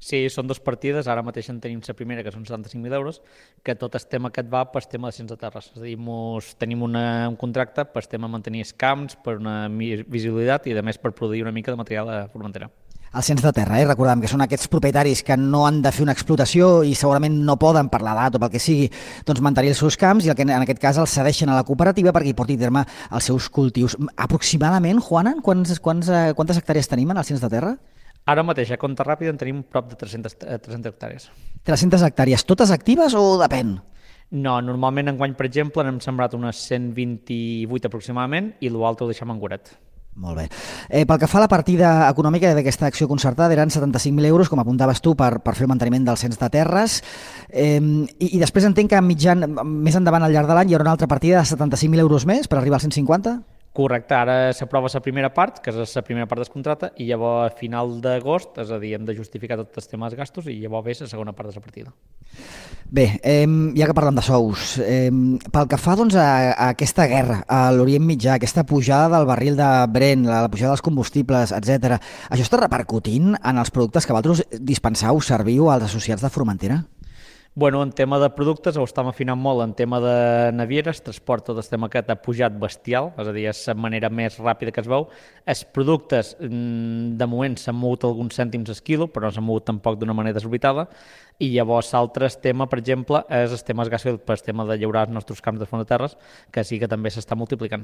[SPEAKER 22] Sí, són dues partides, ara mateix en tenim la primera, que són setanta-cinc mil euros, que tot el tema que et va per tema de cients de terres. És a dir, mos, tenim una, un contracte per tema de mantenir els camps, per una visibilitat i, a més, per produir una mica de material de Formentera.
[SPEAKER 21] El cens de terra, eh? Recordem que són aquests propietaris que no han de fer una explotació i segurament no poden, per l'edat o pel que sigui, doncs mantenir els seus camps, i el que en aquest cas els cedeixen a la cooperativa perquè hi porti a terme els seus cultius. Aproximadament, Juanan, quants, quants, quantes hectàrees tenim en el cens de terra?
[SPEAKER 22] Ara mateix, a compte ràpid, en tenim prop de tres-centes hectàrees.
[SPEAKER 21] tres-centes hectàrees, totes actives o depèn?
[SPEAKER 22] No, normalment enguany, per exemple, n'hem sembrat unes cent vint-i-vuit aproximadament, i l'altre ho deixem en guaret.
[SPEAKER 21] Molt bé. Eh, pel que fa a la partida econòmica d'aquesta acció concertada, eren setanta-cinc mil euros, com apuntaves tu, per, per fer el manteniment del cens de terres, eh, i, i després entenc que mitjan, més endavant al llarg de l'any hi haurà una altra partida de setanta-cinc mil euros més per arribar als cent cinquanta?
[SPEAKER 22] Correcte, ara s'aprova la primera part, que és la primera part del contracte, i llavors a final d'agost, és a dir, hem de justificar tots els temes gastos, i llavors ve la segona part de la partida.
[SPEAKER 21] Bé, eh, ja que parlem de sous, eh, pel que fa doncs, a, a aquesta guerra a l'Orient Mitjà, aquesta pujada del barril de Brent, la, la pujada dels combustibles, etcètera, això està repercutint en els productes que vosaltres dispenseu, serviu als associats de Formentera?
[SPEAKER 22] Bueno, en tema de productes ho estem afinant molt, en tema de navieres, transport, tot el tema aquest ha pujat bestial, és a dir, és la manera més ràpida que es veu. Els productes, de moment, s'han mogut alguns cèntims al quilo, però no s'han mogut tampoc d'una manera desorbitada, i llavors l'altre tema, per exemple, és el tema gasoil, per el tema de llaurar els nostres camps de fons de terres, que sí que també s'està multiplicant.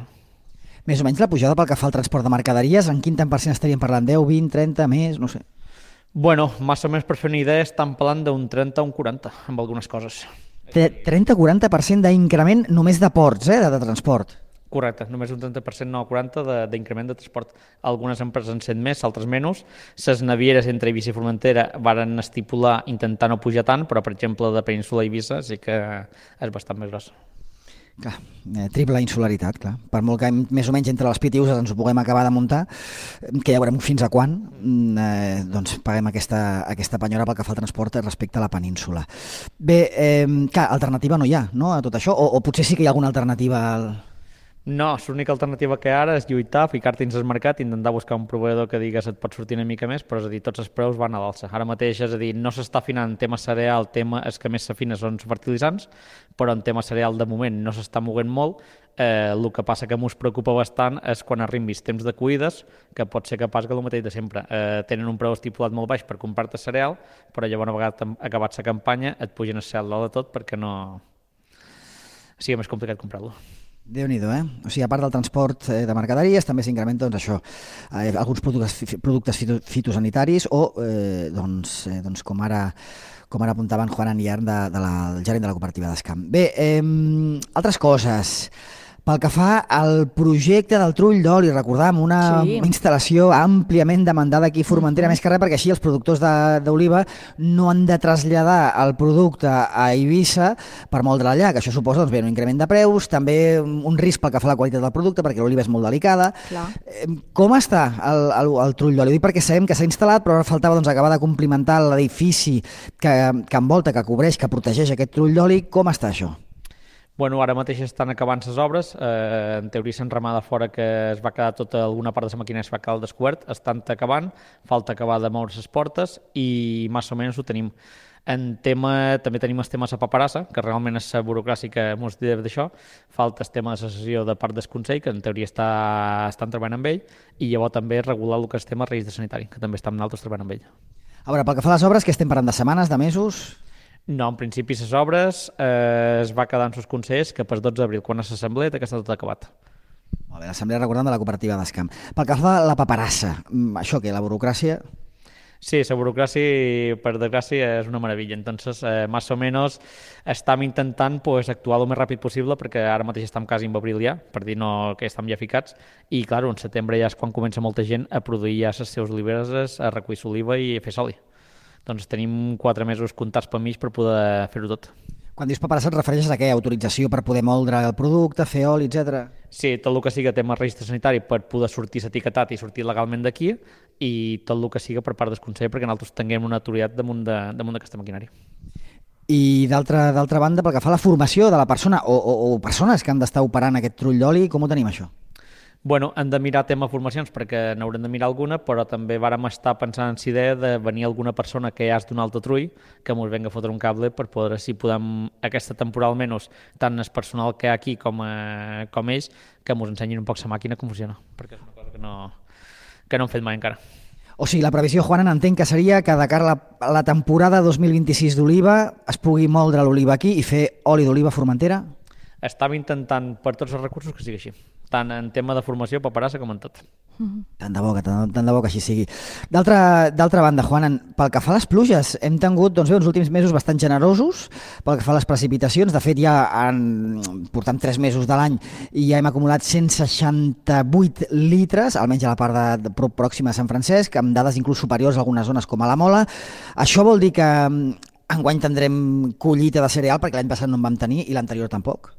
[SPEAKER 21] Més o menys la pujada pel que fa al transport de mercaderies, en quin tant per cent estaríem parlant? deu, vint, trenta, més, no sé.
[SPEAKER 22] Bueno, més o menys per fer una idea, estan parlant d'un trenta o un quaranta, amb algunes coses.
[SPEAKER 21] trenta a quaranta per cent d'increment només de ports, eh, de, de transport.
[SPEAKER 22] Correcte, només un trenta per cent, no, quaranta d'increment de, de transport. Algunes empreses en sent més, altres menys. Les navieres entre Eivissa i Formentera varen estipular intentar no pujar tant, però, per exemple, de Península a Eivissa sí que és bastant més grossa.
[SPEAKER 21] Clar, eh, triple insularitat, clar. Per molt que més o menys entre les pitiuses ens ho puguem acabar de muntar, que ja veurem fins a quan, eh, doncs paguem aquesta, aquesta penyora pel que fa al transport respecte a la península. Bé, eh, clar, alternativa no hi ha, no?, a tot això, o, o potser sí que hi ha alguna alternativa al...
[SPEAKER 22] No, l'única alternativa que ara és lluitar, ficar-te dins el mercat, intentar buscar un proveïdor que digues et pot sortir una mica més, però és a dir, tots els preus van a l'alça. Ara mateix, és a dir, no s'està afinant en tema cereal, tema és que més s'afina són fertilitzants, però en tema cereal de moment no s'està movent molt. Eh, el que passa que m'us preocupa bastant és quan arribi els temps de cuides, que pot ser capaç que el mateix de sempre. Eh, tenen un preu estipulat molt baix per comprar-te cereal, però llavors una vegada acabat la campanya et pugen el cel dalt de tot perquè no... sigui més complicat comprar-lo.
[SPEAKER 21] Déu-n'hi-do, eh? O sigui, a part del transport de mercaderies, també s'incrementa, doncs, això, eh, alguns productes, productes fito, fitosanitaris o, eh, doncs, eh, doncs, com ara com ara apuntaven Juanan Iern, de, de la, el gerent de la cooperativa d'Escamp. Bé, eh, altres coses. Pel que fa al projecte del trull d'oli, recordam, una sí. instal·lació àmpliament demandada aquí a Formentera, mm-hmm. més que res perquè així els productors d'oliva no han de traslladar el producte a Eivissa per moldre allà, que això suposa doncs, bé, un increment de preus, també un risc pel que fa a la qualitat del producte, perquè l'oliva és molt delicada.
[SPEAKER 4] Clar.
[SPEAKER 21] Com està el, el, el trull d'oli? Ho dic perquè sabem que s'ha instal·lat, però ara faltava doncs, acabar de complimentar l'edifici que, que envolta, que cobreix, que protegeix aquest trull d'oli. Com està això?
[SPEAKER 22] Bueno, ara mateix estan acabant les obres, eh, en teoria s'han remada fora que es va quedar tota alguna part de la maquinària es va quedar al descobert, estan acabant, falta acabar de moure les portes i més o menys ho tenim. En tema, també tenim el tema de la paperassa, que realment és la burocràcia que ens diu d'això, falta el tema de la sessió de part del Consell, que en teoria està, estan treballant amb ell, i llavors també regular el que és el tema de registre sanitari, que també estan nosaltres treballant amb ell.
[SPEAKER 21] A veure, pel que fa a les obres, que estem parlant de setmanes, de mesos?
[SPEAKER 22] No, en principi les obres eh, es va quedar en els consells que per dotze d'abril, quan és l'assemblea, que està tot acabat.
[SPEAKER 21] Molt bé, l'assemblea recordant de la cooperativa d'Escamp. Pel que fa a la paperassa, això què, la burocràcia?
[SPEAKER 22] Sí, la burocràcia, per desgràcia, és una meravella. Entonces, eh, més o menys, estem intentant pues, actuar el més ràpid possible, perquè ara mateix estem quasi en abril ja, per dir no que estem ja ficats, i, clar, en setembre ja és quan comença molta gent a produir ja les seves oliveres, a recollir l'oliva i a fer soli. Doncs tenim quatre mesos comptats per mig per poder fer-ho tot.
[SPEAKER 21] Quan dius paperassa et refereixes a què? Autorització per poder moldre el producte, fer oli, etcètera?
[SPEAKER 22] Sí, tot el que siga tema registre sanitari per poder sortir etiquetat i sortir legalment d'aquí i tot el que siga per part del Consell perquè nosaltres tinguem una autoritat damunt d'aquesta maquinària.
[SPEAKER 21] I d'altra banda, pel que fa a la formació de la persona o, o, o persones que han d'estar operant aquest trull d'oli, com ho tenim això?
[SPEAKER 22] Bueno, hem de mirar tema formacions perquè n'haurem de mirar alguna, però també vàrem estar pensant en la idea de venir alguna persona que ja és d'un altre trull que ens venga a fotre un cable per poder, si podem, aquesta temporada almenys, tant el personal que hi ha aquí com, a, com ells, que ens ensenyin un poc la màquina com funciona, perquè és una cosa que no, que no hem fet mai encara.
[SPEAKER 21] O sigui, la previsió, Juan, entenc que seria que de cara a la, la temporada dos mil vint-i-sis d'oliva es pugui moldre l'oliva aquí i fer oli d'oliva a Formentera?
[SPEAKER 22] Estava intentant per tots els recursos que sigui així, tant en tema de formació, paperassa com en tot.
[SPEAKER 21] Mm-hmm. Tant de bo, que, tant, tant de bo que així sigui. D'altra banda, Juan, pel que fa a les pluges, hem tingut doncs, bé, uns últims mesos bastant generosos, pel que fa a les precipitacions, de fet ja en, portem tres mesos de l'any i ja hem acumulat cent seixanta-vuit litres, almenys a la part de, de pròxima a Sant Francesc, amb dades inclús superiors a algunes zones com a la Mola. Això vol dir que enguany tindrem collita de cereal, perquè l'any passat no en vam tenir i l'anterior tampoc?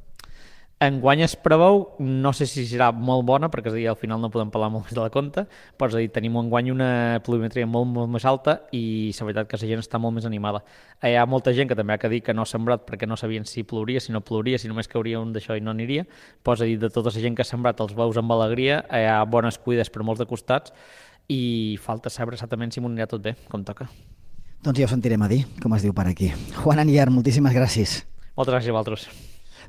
[SPEAKER 22] Enguany es preveu, no sé si serà molt bona, perquè és a dir, al final no podem parlar molt més de la compte, però és a dir, tenim enguany una pluviometria molt, molt més alta i la veritat que la gent està molt més animada. Hi ha molta gent que també ha que dir que no ha sembrat perquè no sabien si plouria, si no plouria, si només cauria un d'això i no aniria, però és a dir, de tota la gent que ha sembrat els veus amb alegria, hi ha bones cuides per molts de costats i falta saber exactament si m'ho anirà tot bé, com toca.
[SPEAKER 21] Doncs ja ho sentirem a dir, com es diu per aquí. Juan Anier, moltíssimes gràcies.
[SPEAKER 22] Moltes gràcies a vosaltres.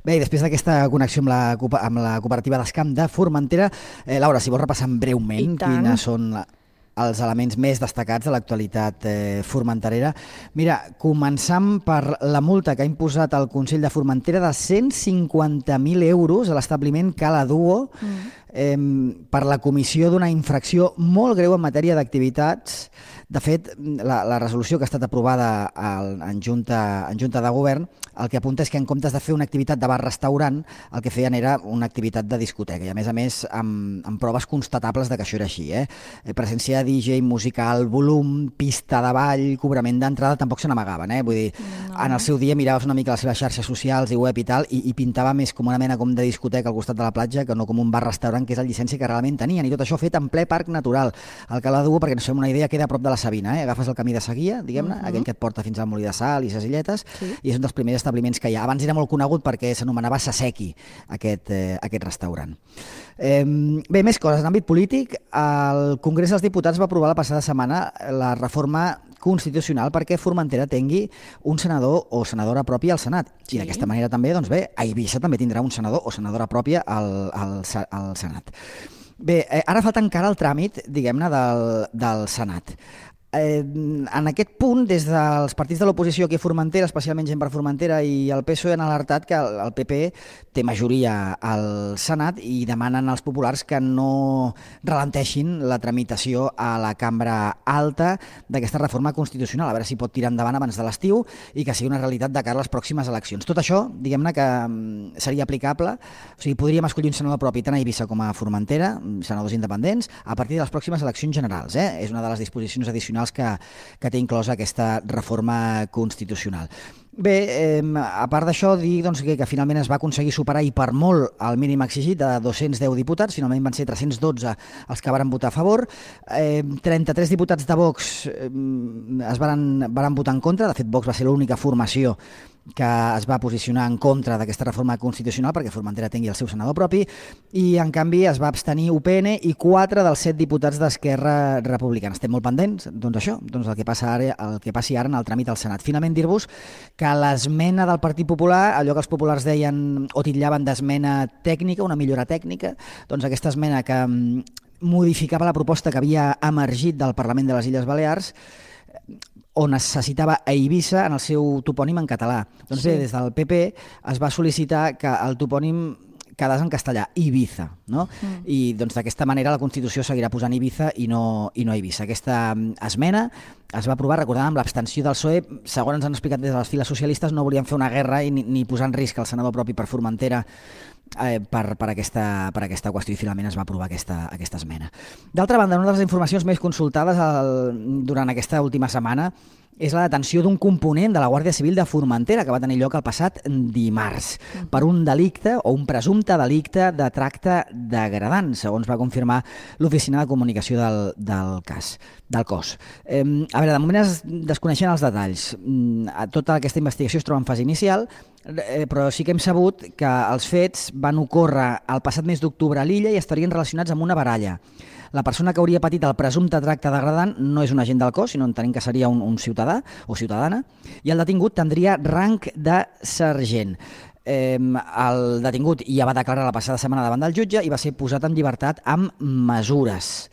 [SPEAKER 21] Bé, i després d'aquesta connexió amb la, amb la cooperativa d'Escamp de Formentera, eh, Laura, si vols repassar breument quines són la, els elements més destacats de l'actualitat eh, formenterera. Mira, començant per la multa que ha imposat el Consell de Formentera de cent cinquanta mil euros a l'establiment Cala Duo mm. eh, per la comissió d'una infracció molt greu en matèria d'activitats. De fet, la, la resolució que ha estat aprovada al, en, junta, en Junta de Govern el que apunta és que en comptes de fer una activitat de bar-restaurant, el que feien era una activitat de discoteca, i a més a més amb, amb proves constatables de que això era així. Eh? Presència de D J, musical, volum, pista de ball, cobrament d'entrada, tampoc se n'amagaven. Eh? Vull dir, no. En el seu dia miraves una mica les seves xarxes socials i web i tal, i, i pintava més com una mena com de discoteca al costat de la platja que no com un bar-restaurant, que és la llicència que realment tenien, i tot això fet en ple parc natural. El Cala Duo, perquè no sé, una idea, queda a prop de la Sabina, eh? Agafes el camí de Seguia, diguem-ne, uh-huh. aquell que et porta fins al Molí de Sal i ses illetes, sí. I és un dels primers establiments que hi ha. Abans era molt conegut perquè s'anomenava Saseki, aquest, eh, aquest restaurant. Eh, bé, més coses. En àmbit polític, el Congrés dels Diputats va aprovar la passada setmana la reforma constitucional perquè Formentera tingui un senador o senadora pròpia al Senat. Sí. I d'aquesta manera també, doncs bé, a Eivissa també tindrà un senador o senadora pròpia al, al, al Senat. Bé, eh, ara falta encara el tràmit, diguem-ne, del, del Senat. Eh, en aquest punt, des dels partits de l'oposició aquí a Formentera, especialment Gent per Formentera i el P S O E, han alertat que el, el P P té majoria al Senat i demanen als populars que no ralenteixin la tramitació a la cambra alta d'aquesta reforma constitucional, a veure si pot tirar endavant abans de l'estiu i que sigui una realitat de cara a les pròximes eleccions. Tot això, diguem-ne que seria aplicable, o sigui, podríem escollir un senador propi tant a Eivissa com a Formentera, senadors independents, a partir de les pròximes eleccions generals. Eh? És una de les disposicions addicionals Que, que té inclosa aquesta reforma constitucional. Bé, eh, a part d'això, dir doncs, que, que finalment es va aconseguir superar i per molt el mínim exigit de dos-cents deu diputats, finalment van ser tres-cents dotze els que varen votar a favor, eh, trenta-tres diputats de Vox eh, es varen, varen votar en contra, de fet Vox va ser l'única formació que es va posicionar en contra d'aquesta reforma constitucional perquè Formentera tingui el seu senador propi, i en canvi es va abstenir U P N i quatre dels set diputats d'Esquerra Republicana. Estem molt pendents, doncs això, doncs el que passa ara, el que passi ara en el tràmit al Senat. Finalment dir-vos que l'esmena del Partit Popular, allò que els populars deien o titllaven d'esmena tècnica, una millora tècnica, doncs aquesta esmena que modificava la proposta que havia emergit del Parlament de les Illes Balears, on necessitava a Eivissa en el seu topònim en català. Doncs bé, des del P P es va sol·licitar que el topònim quedés en castellà, Ibiza, no? Mm. I doncs d'aquesta manera la Constitució seguirà posant Ibiza i no, i no Eivissa. Aquesta esmena es va aprovar, recordant, amb l'abstenció del P S O E. Segons ens han explicat des de les files socialistes, no volien fer una guerra i ni, ni posar en risc el senador propi per Formentera eh, per, per, aquesta, per aquesta qüestió, i finalment es va aprovar aquesta, aquesta esmena. D'altra banda, una de les informacions més consultades el, durant aquesta última setmana és la detenció d'un component de la Guàrdia Civil de Formentera que va tenir lloc el passat dimarts per un delicte o un presumpte delicte de tracte degradant, segons va confirmar l'Oficina de Comunicació del, del cas, del cos. Eh, a veure, de moment es desconeixen els detalls. Tota aquesta investigació es troba en fase inicial, eh, però sí que hem sabut que els fets van ocórrer el passat mes d'octubre a l'illa i estarien relacionats amb una baralla. La persona que hauria patit el presumpte tracte degradant no és un agent del cos, sinó entenem que seria un, un ciutadà o ciutadana, i el detingut tindria rang de sergent. Eh, el detingut ja va declarar la passada setmana davant del jutge i va ser posat en llibertat amb mesures.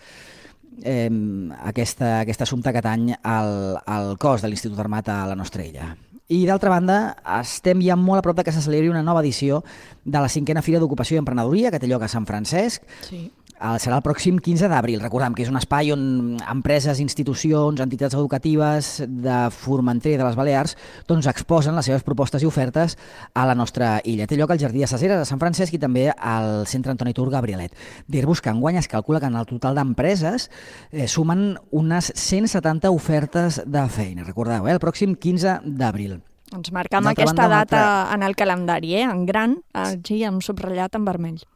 [SPEAKER 21] Eh, aquesta, aquest assumpte que tany al, al cos de l'Institut Armat a la nostra illa. I d'altra banda, estem ja molt a prop de que se celebri una nova edició de la cinquena Fira d'Ocupació i Emprenedoria, que té lloc a Sant Francesc. Sí. Serà el pròxim quinze d'abril. Recordem que és un espai on empreses, institucions, entitats educatives de Formentera i de les Balears doncs exposen les seves propostes i ofertes a la nostra illa. Té lloc al Jardí de Saceres, a Sant Francesc, i també al Centre Antoni Tur Gabrielet. Dir-vos que enguany es calcula que en el total d'empreses eh, sumen unes cent setanta ofertes de feina. Recordeu, eh? El pròxim quinze d'abril.
[SPEAKER 4] Ens marcam aquesta data en el calendari, eh? En gran, així amb subratllat en vermell.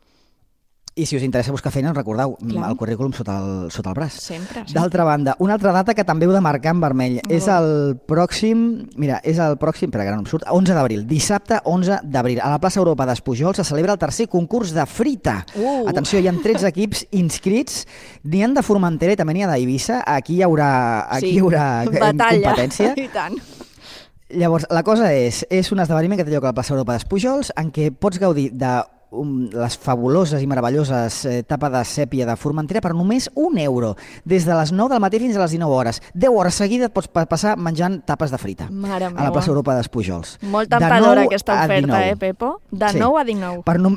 [SPEAKER 21] I si us interessa buscar feina, recordeu, Clar. el currículum sota el, sota el braç.
[SPEAKER 4] Sempre, sempre.
[SPEAKER 21] D'altra banda, una altra data que també heu de marcar en vermell oh. és el pròxim, mira, és el pròxim, per que no em surt, onze d'abril, dissabte onze d'abril. A la plaça Europa d'Espujol se celebra el tercer concurs de frita. Uh. Atenció, hi ha tretze equips inscrits, n'hi ha de Formentera i també n'hi ha d'Eivissa. Aquí hi haurà, aquí sí. hi haurà competència.
[SPEAKER 4] I tant.
[SPEAKER 21] Llavors, la cosa és, és un esdeveniment que té lloc a la plaça Europa d'Espujols en què pots gaudir de Um, les fabuloses i meravelloses eh, tapes de sèpia de Formentera per només un euro, des de les nou del matí fins a les dinou hores. deu hores seguides pots passar menjant tapes de frita.
[SPEAKER 4] Mare
[SPEAKER 21] a la plaça Europa d'Espujols.
[SPEAKER 4] Molt temptadora aquesta oferta, eh, Pepo? De sí. nou a dinou.
[SPEAKER 21] Per no...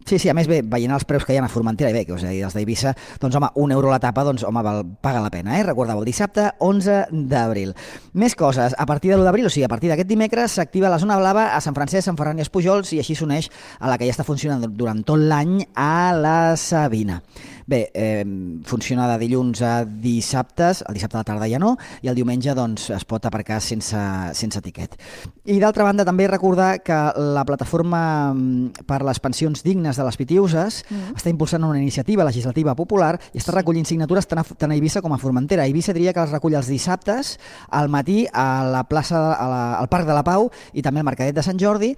[SPEAKER 21] Sí, sí, a més, bé, veient els preus que hi ha a Formentera, i bé, que us he dit, els d'Eivissa, doncs, home, un euro la tapa, doncs, home, val, paga la pena, eh? Recordeu, el dissabte, onze d'abril. Més coses, a partir de l'u d'abril, o sigui, a partir d'aquest dimecres, s'activa la zona blava a Sant Francesc, Sant Ferran i Espujols, i així s'uneix a la que ja està funcionant durant tot l'any a la Sabina. Bé, eh, funciona de dilluns a dissabtes, el dissabte a la tarda ja no, i el diumenge doncs, es pot aparcar sense, sense tiquet. I d'altra banda també recordar que la plataforma per les pensions dignes de les Pitiuses mm. està impulsant una iniciativa legislativa popular i està recollint signatures tant a, tant a Eivissa com a Formentera. A Eivissa diria que les recull els dissabtes al matí a la plaça, a la, al Parc de la Pau i també al Mercadet de Sant Jordi.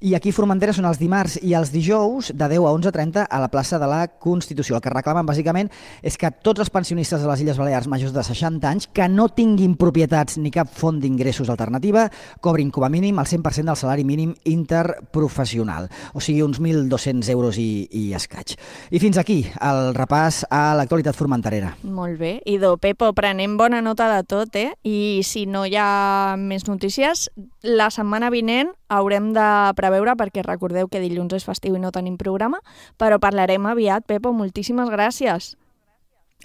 [SPEAKER 21] I aquí a Formentera són els dimarts i els dijous de deu a onze trenta a la plaça de la Constitució. El que reclamen bàsicament és que tots els pensionistes de les Illes Balears majors de seixanta anys que no tinguin propietats ni cap font d'ingressos alternativa cobrin com a mínim el cent per cent del salari mínim interprofessional, o sigui uns mil dos-cents euros i, i escaig. I fins aquí el repàs a l'actualitat formenterera.
[SPEAKER 4] Molt bé. Idò, Pepo, prenem bona nota de tot, eh? I si no hi ha més notícies, la setmana vinent haurem de preveure, perquè recordeu que dilluns és festiu i no tenim programa, però parlarem aviat. Pepo, moltíssimes gràcies.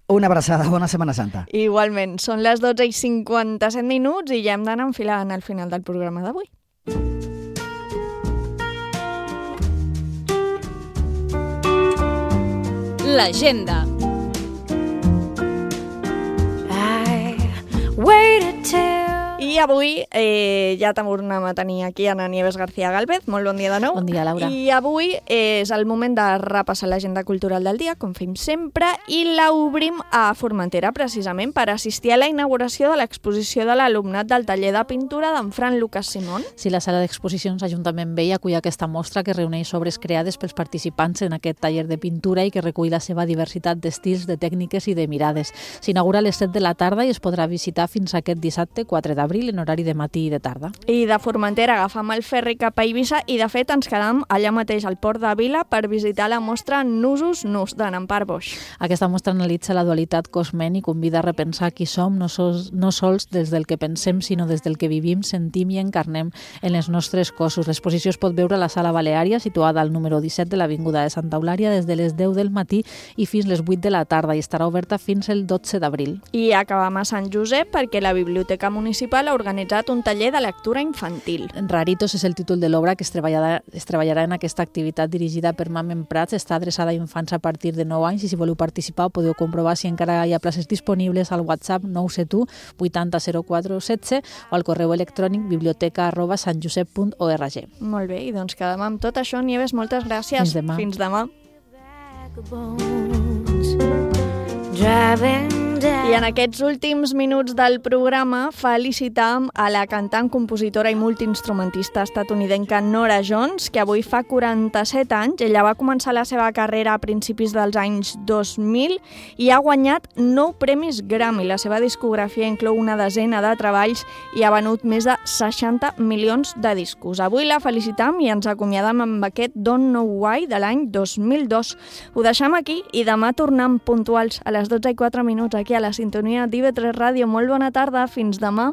[SPEAKER 21] Una abraçada, bona Setmana Santa.
[SPEAKER 4] Igualment, són les dotze i cinquanta-set minuts i ja hem d'anar enfilant al final del programa d'avui.
[SPEAKER 16] L'agenda.
[SPEAKER 4] I waited till... I avui eh, ja tornem a tenir aquí Ana Nieves García Galvez. Molt bon dia de nou.
[SPEAKER 5] Bon dia, Laura.
[SPEAKER 4] I avui és el moment de repassar l'agenda cultural del dia, com fem sempre, i l'obrim a Formentera, precisament, per assistir a la inauguració de l'exposició de l'alumnat del taller de pintura d'en Fran Lucas Simón.
[SPEAKER 5] Sí, la sala d'exposicions Ajuntament Vell acull aquesta mostra que reuneix obres creades pels participants en aquest taller de pintura i que recull la seva diversitat d'estils, de tècniques i de mirades. S'inaugura a les set de la tarda i es podrà visitar fins aquest dissabte quatre d'abril en horari de matí i de tarda.
[SPEAKER 4] I de Formentera agafam el ferri cap a Eivissa i de fet ens quedam allà mateix al Port de Vila per visitar la mostra Nusos Nus de Nampar Boix.
[SPEAKER 5] Aquesta mostra analitza la dualitat cos-ment i convida a repensar qui som no sols, no sols des del que pensem sinó des del que vivim, sentim i encarnem en els nostres cossos. L'exposició es pot veure a la Sala Baleària situada al número disset de l'Avinguda de Santa Eulària des de les deu del matí i fins les vuit de la tarda i estarà oberta fins el dotze d'abril.
[SPEAKER 4] I acabam a Sant Josep perquè la Biblioteca Municipal ha organitzat un taller de lectura infantil.
[SPEAKER 5] Raritos és el títol de l'obra que es treballarà, es treballarà en aquesta activitat dirigida per Mamen Prats. Està adreçada a infants a partir de nou anys i si voleu participar ho podeu comprovar si encara hi ha places disponibles al WhatsApp nou set u vuitanta zero quatre setze o al correu electrònic biblioteca arroba santjosep punt org.
[SPEAKER 4] Molt bé, i doncs quedem amb tot això. Nieves, moltes gràcies.
[SPEAKER 5] Fins demà.
[SPEAKER 4] Fins demà. I en aquests últims minuts del programa felicitam a la cantant, compositora i multiinstrumentista estatunidenca Norah Jones, que avui fa quaranta-set anys. Ella va començar la seva carrera a principis dels anys dos mil i ha guanyat nou premis Grammy. La seva discografia inclou una desena de treballs i ha venut més de seixanta milions de discos. Avui la felicitam i ens acomiadam amb aquest Don't Know Why de l'any dos mil dos. Ho deixam aquí i demà tornem puntuals a les dotze i quatre minuts aquí a la sintonia d'I V tres Ràdio. Molt bona tarda, fins demà.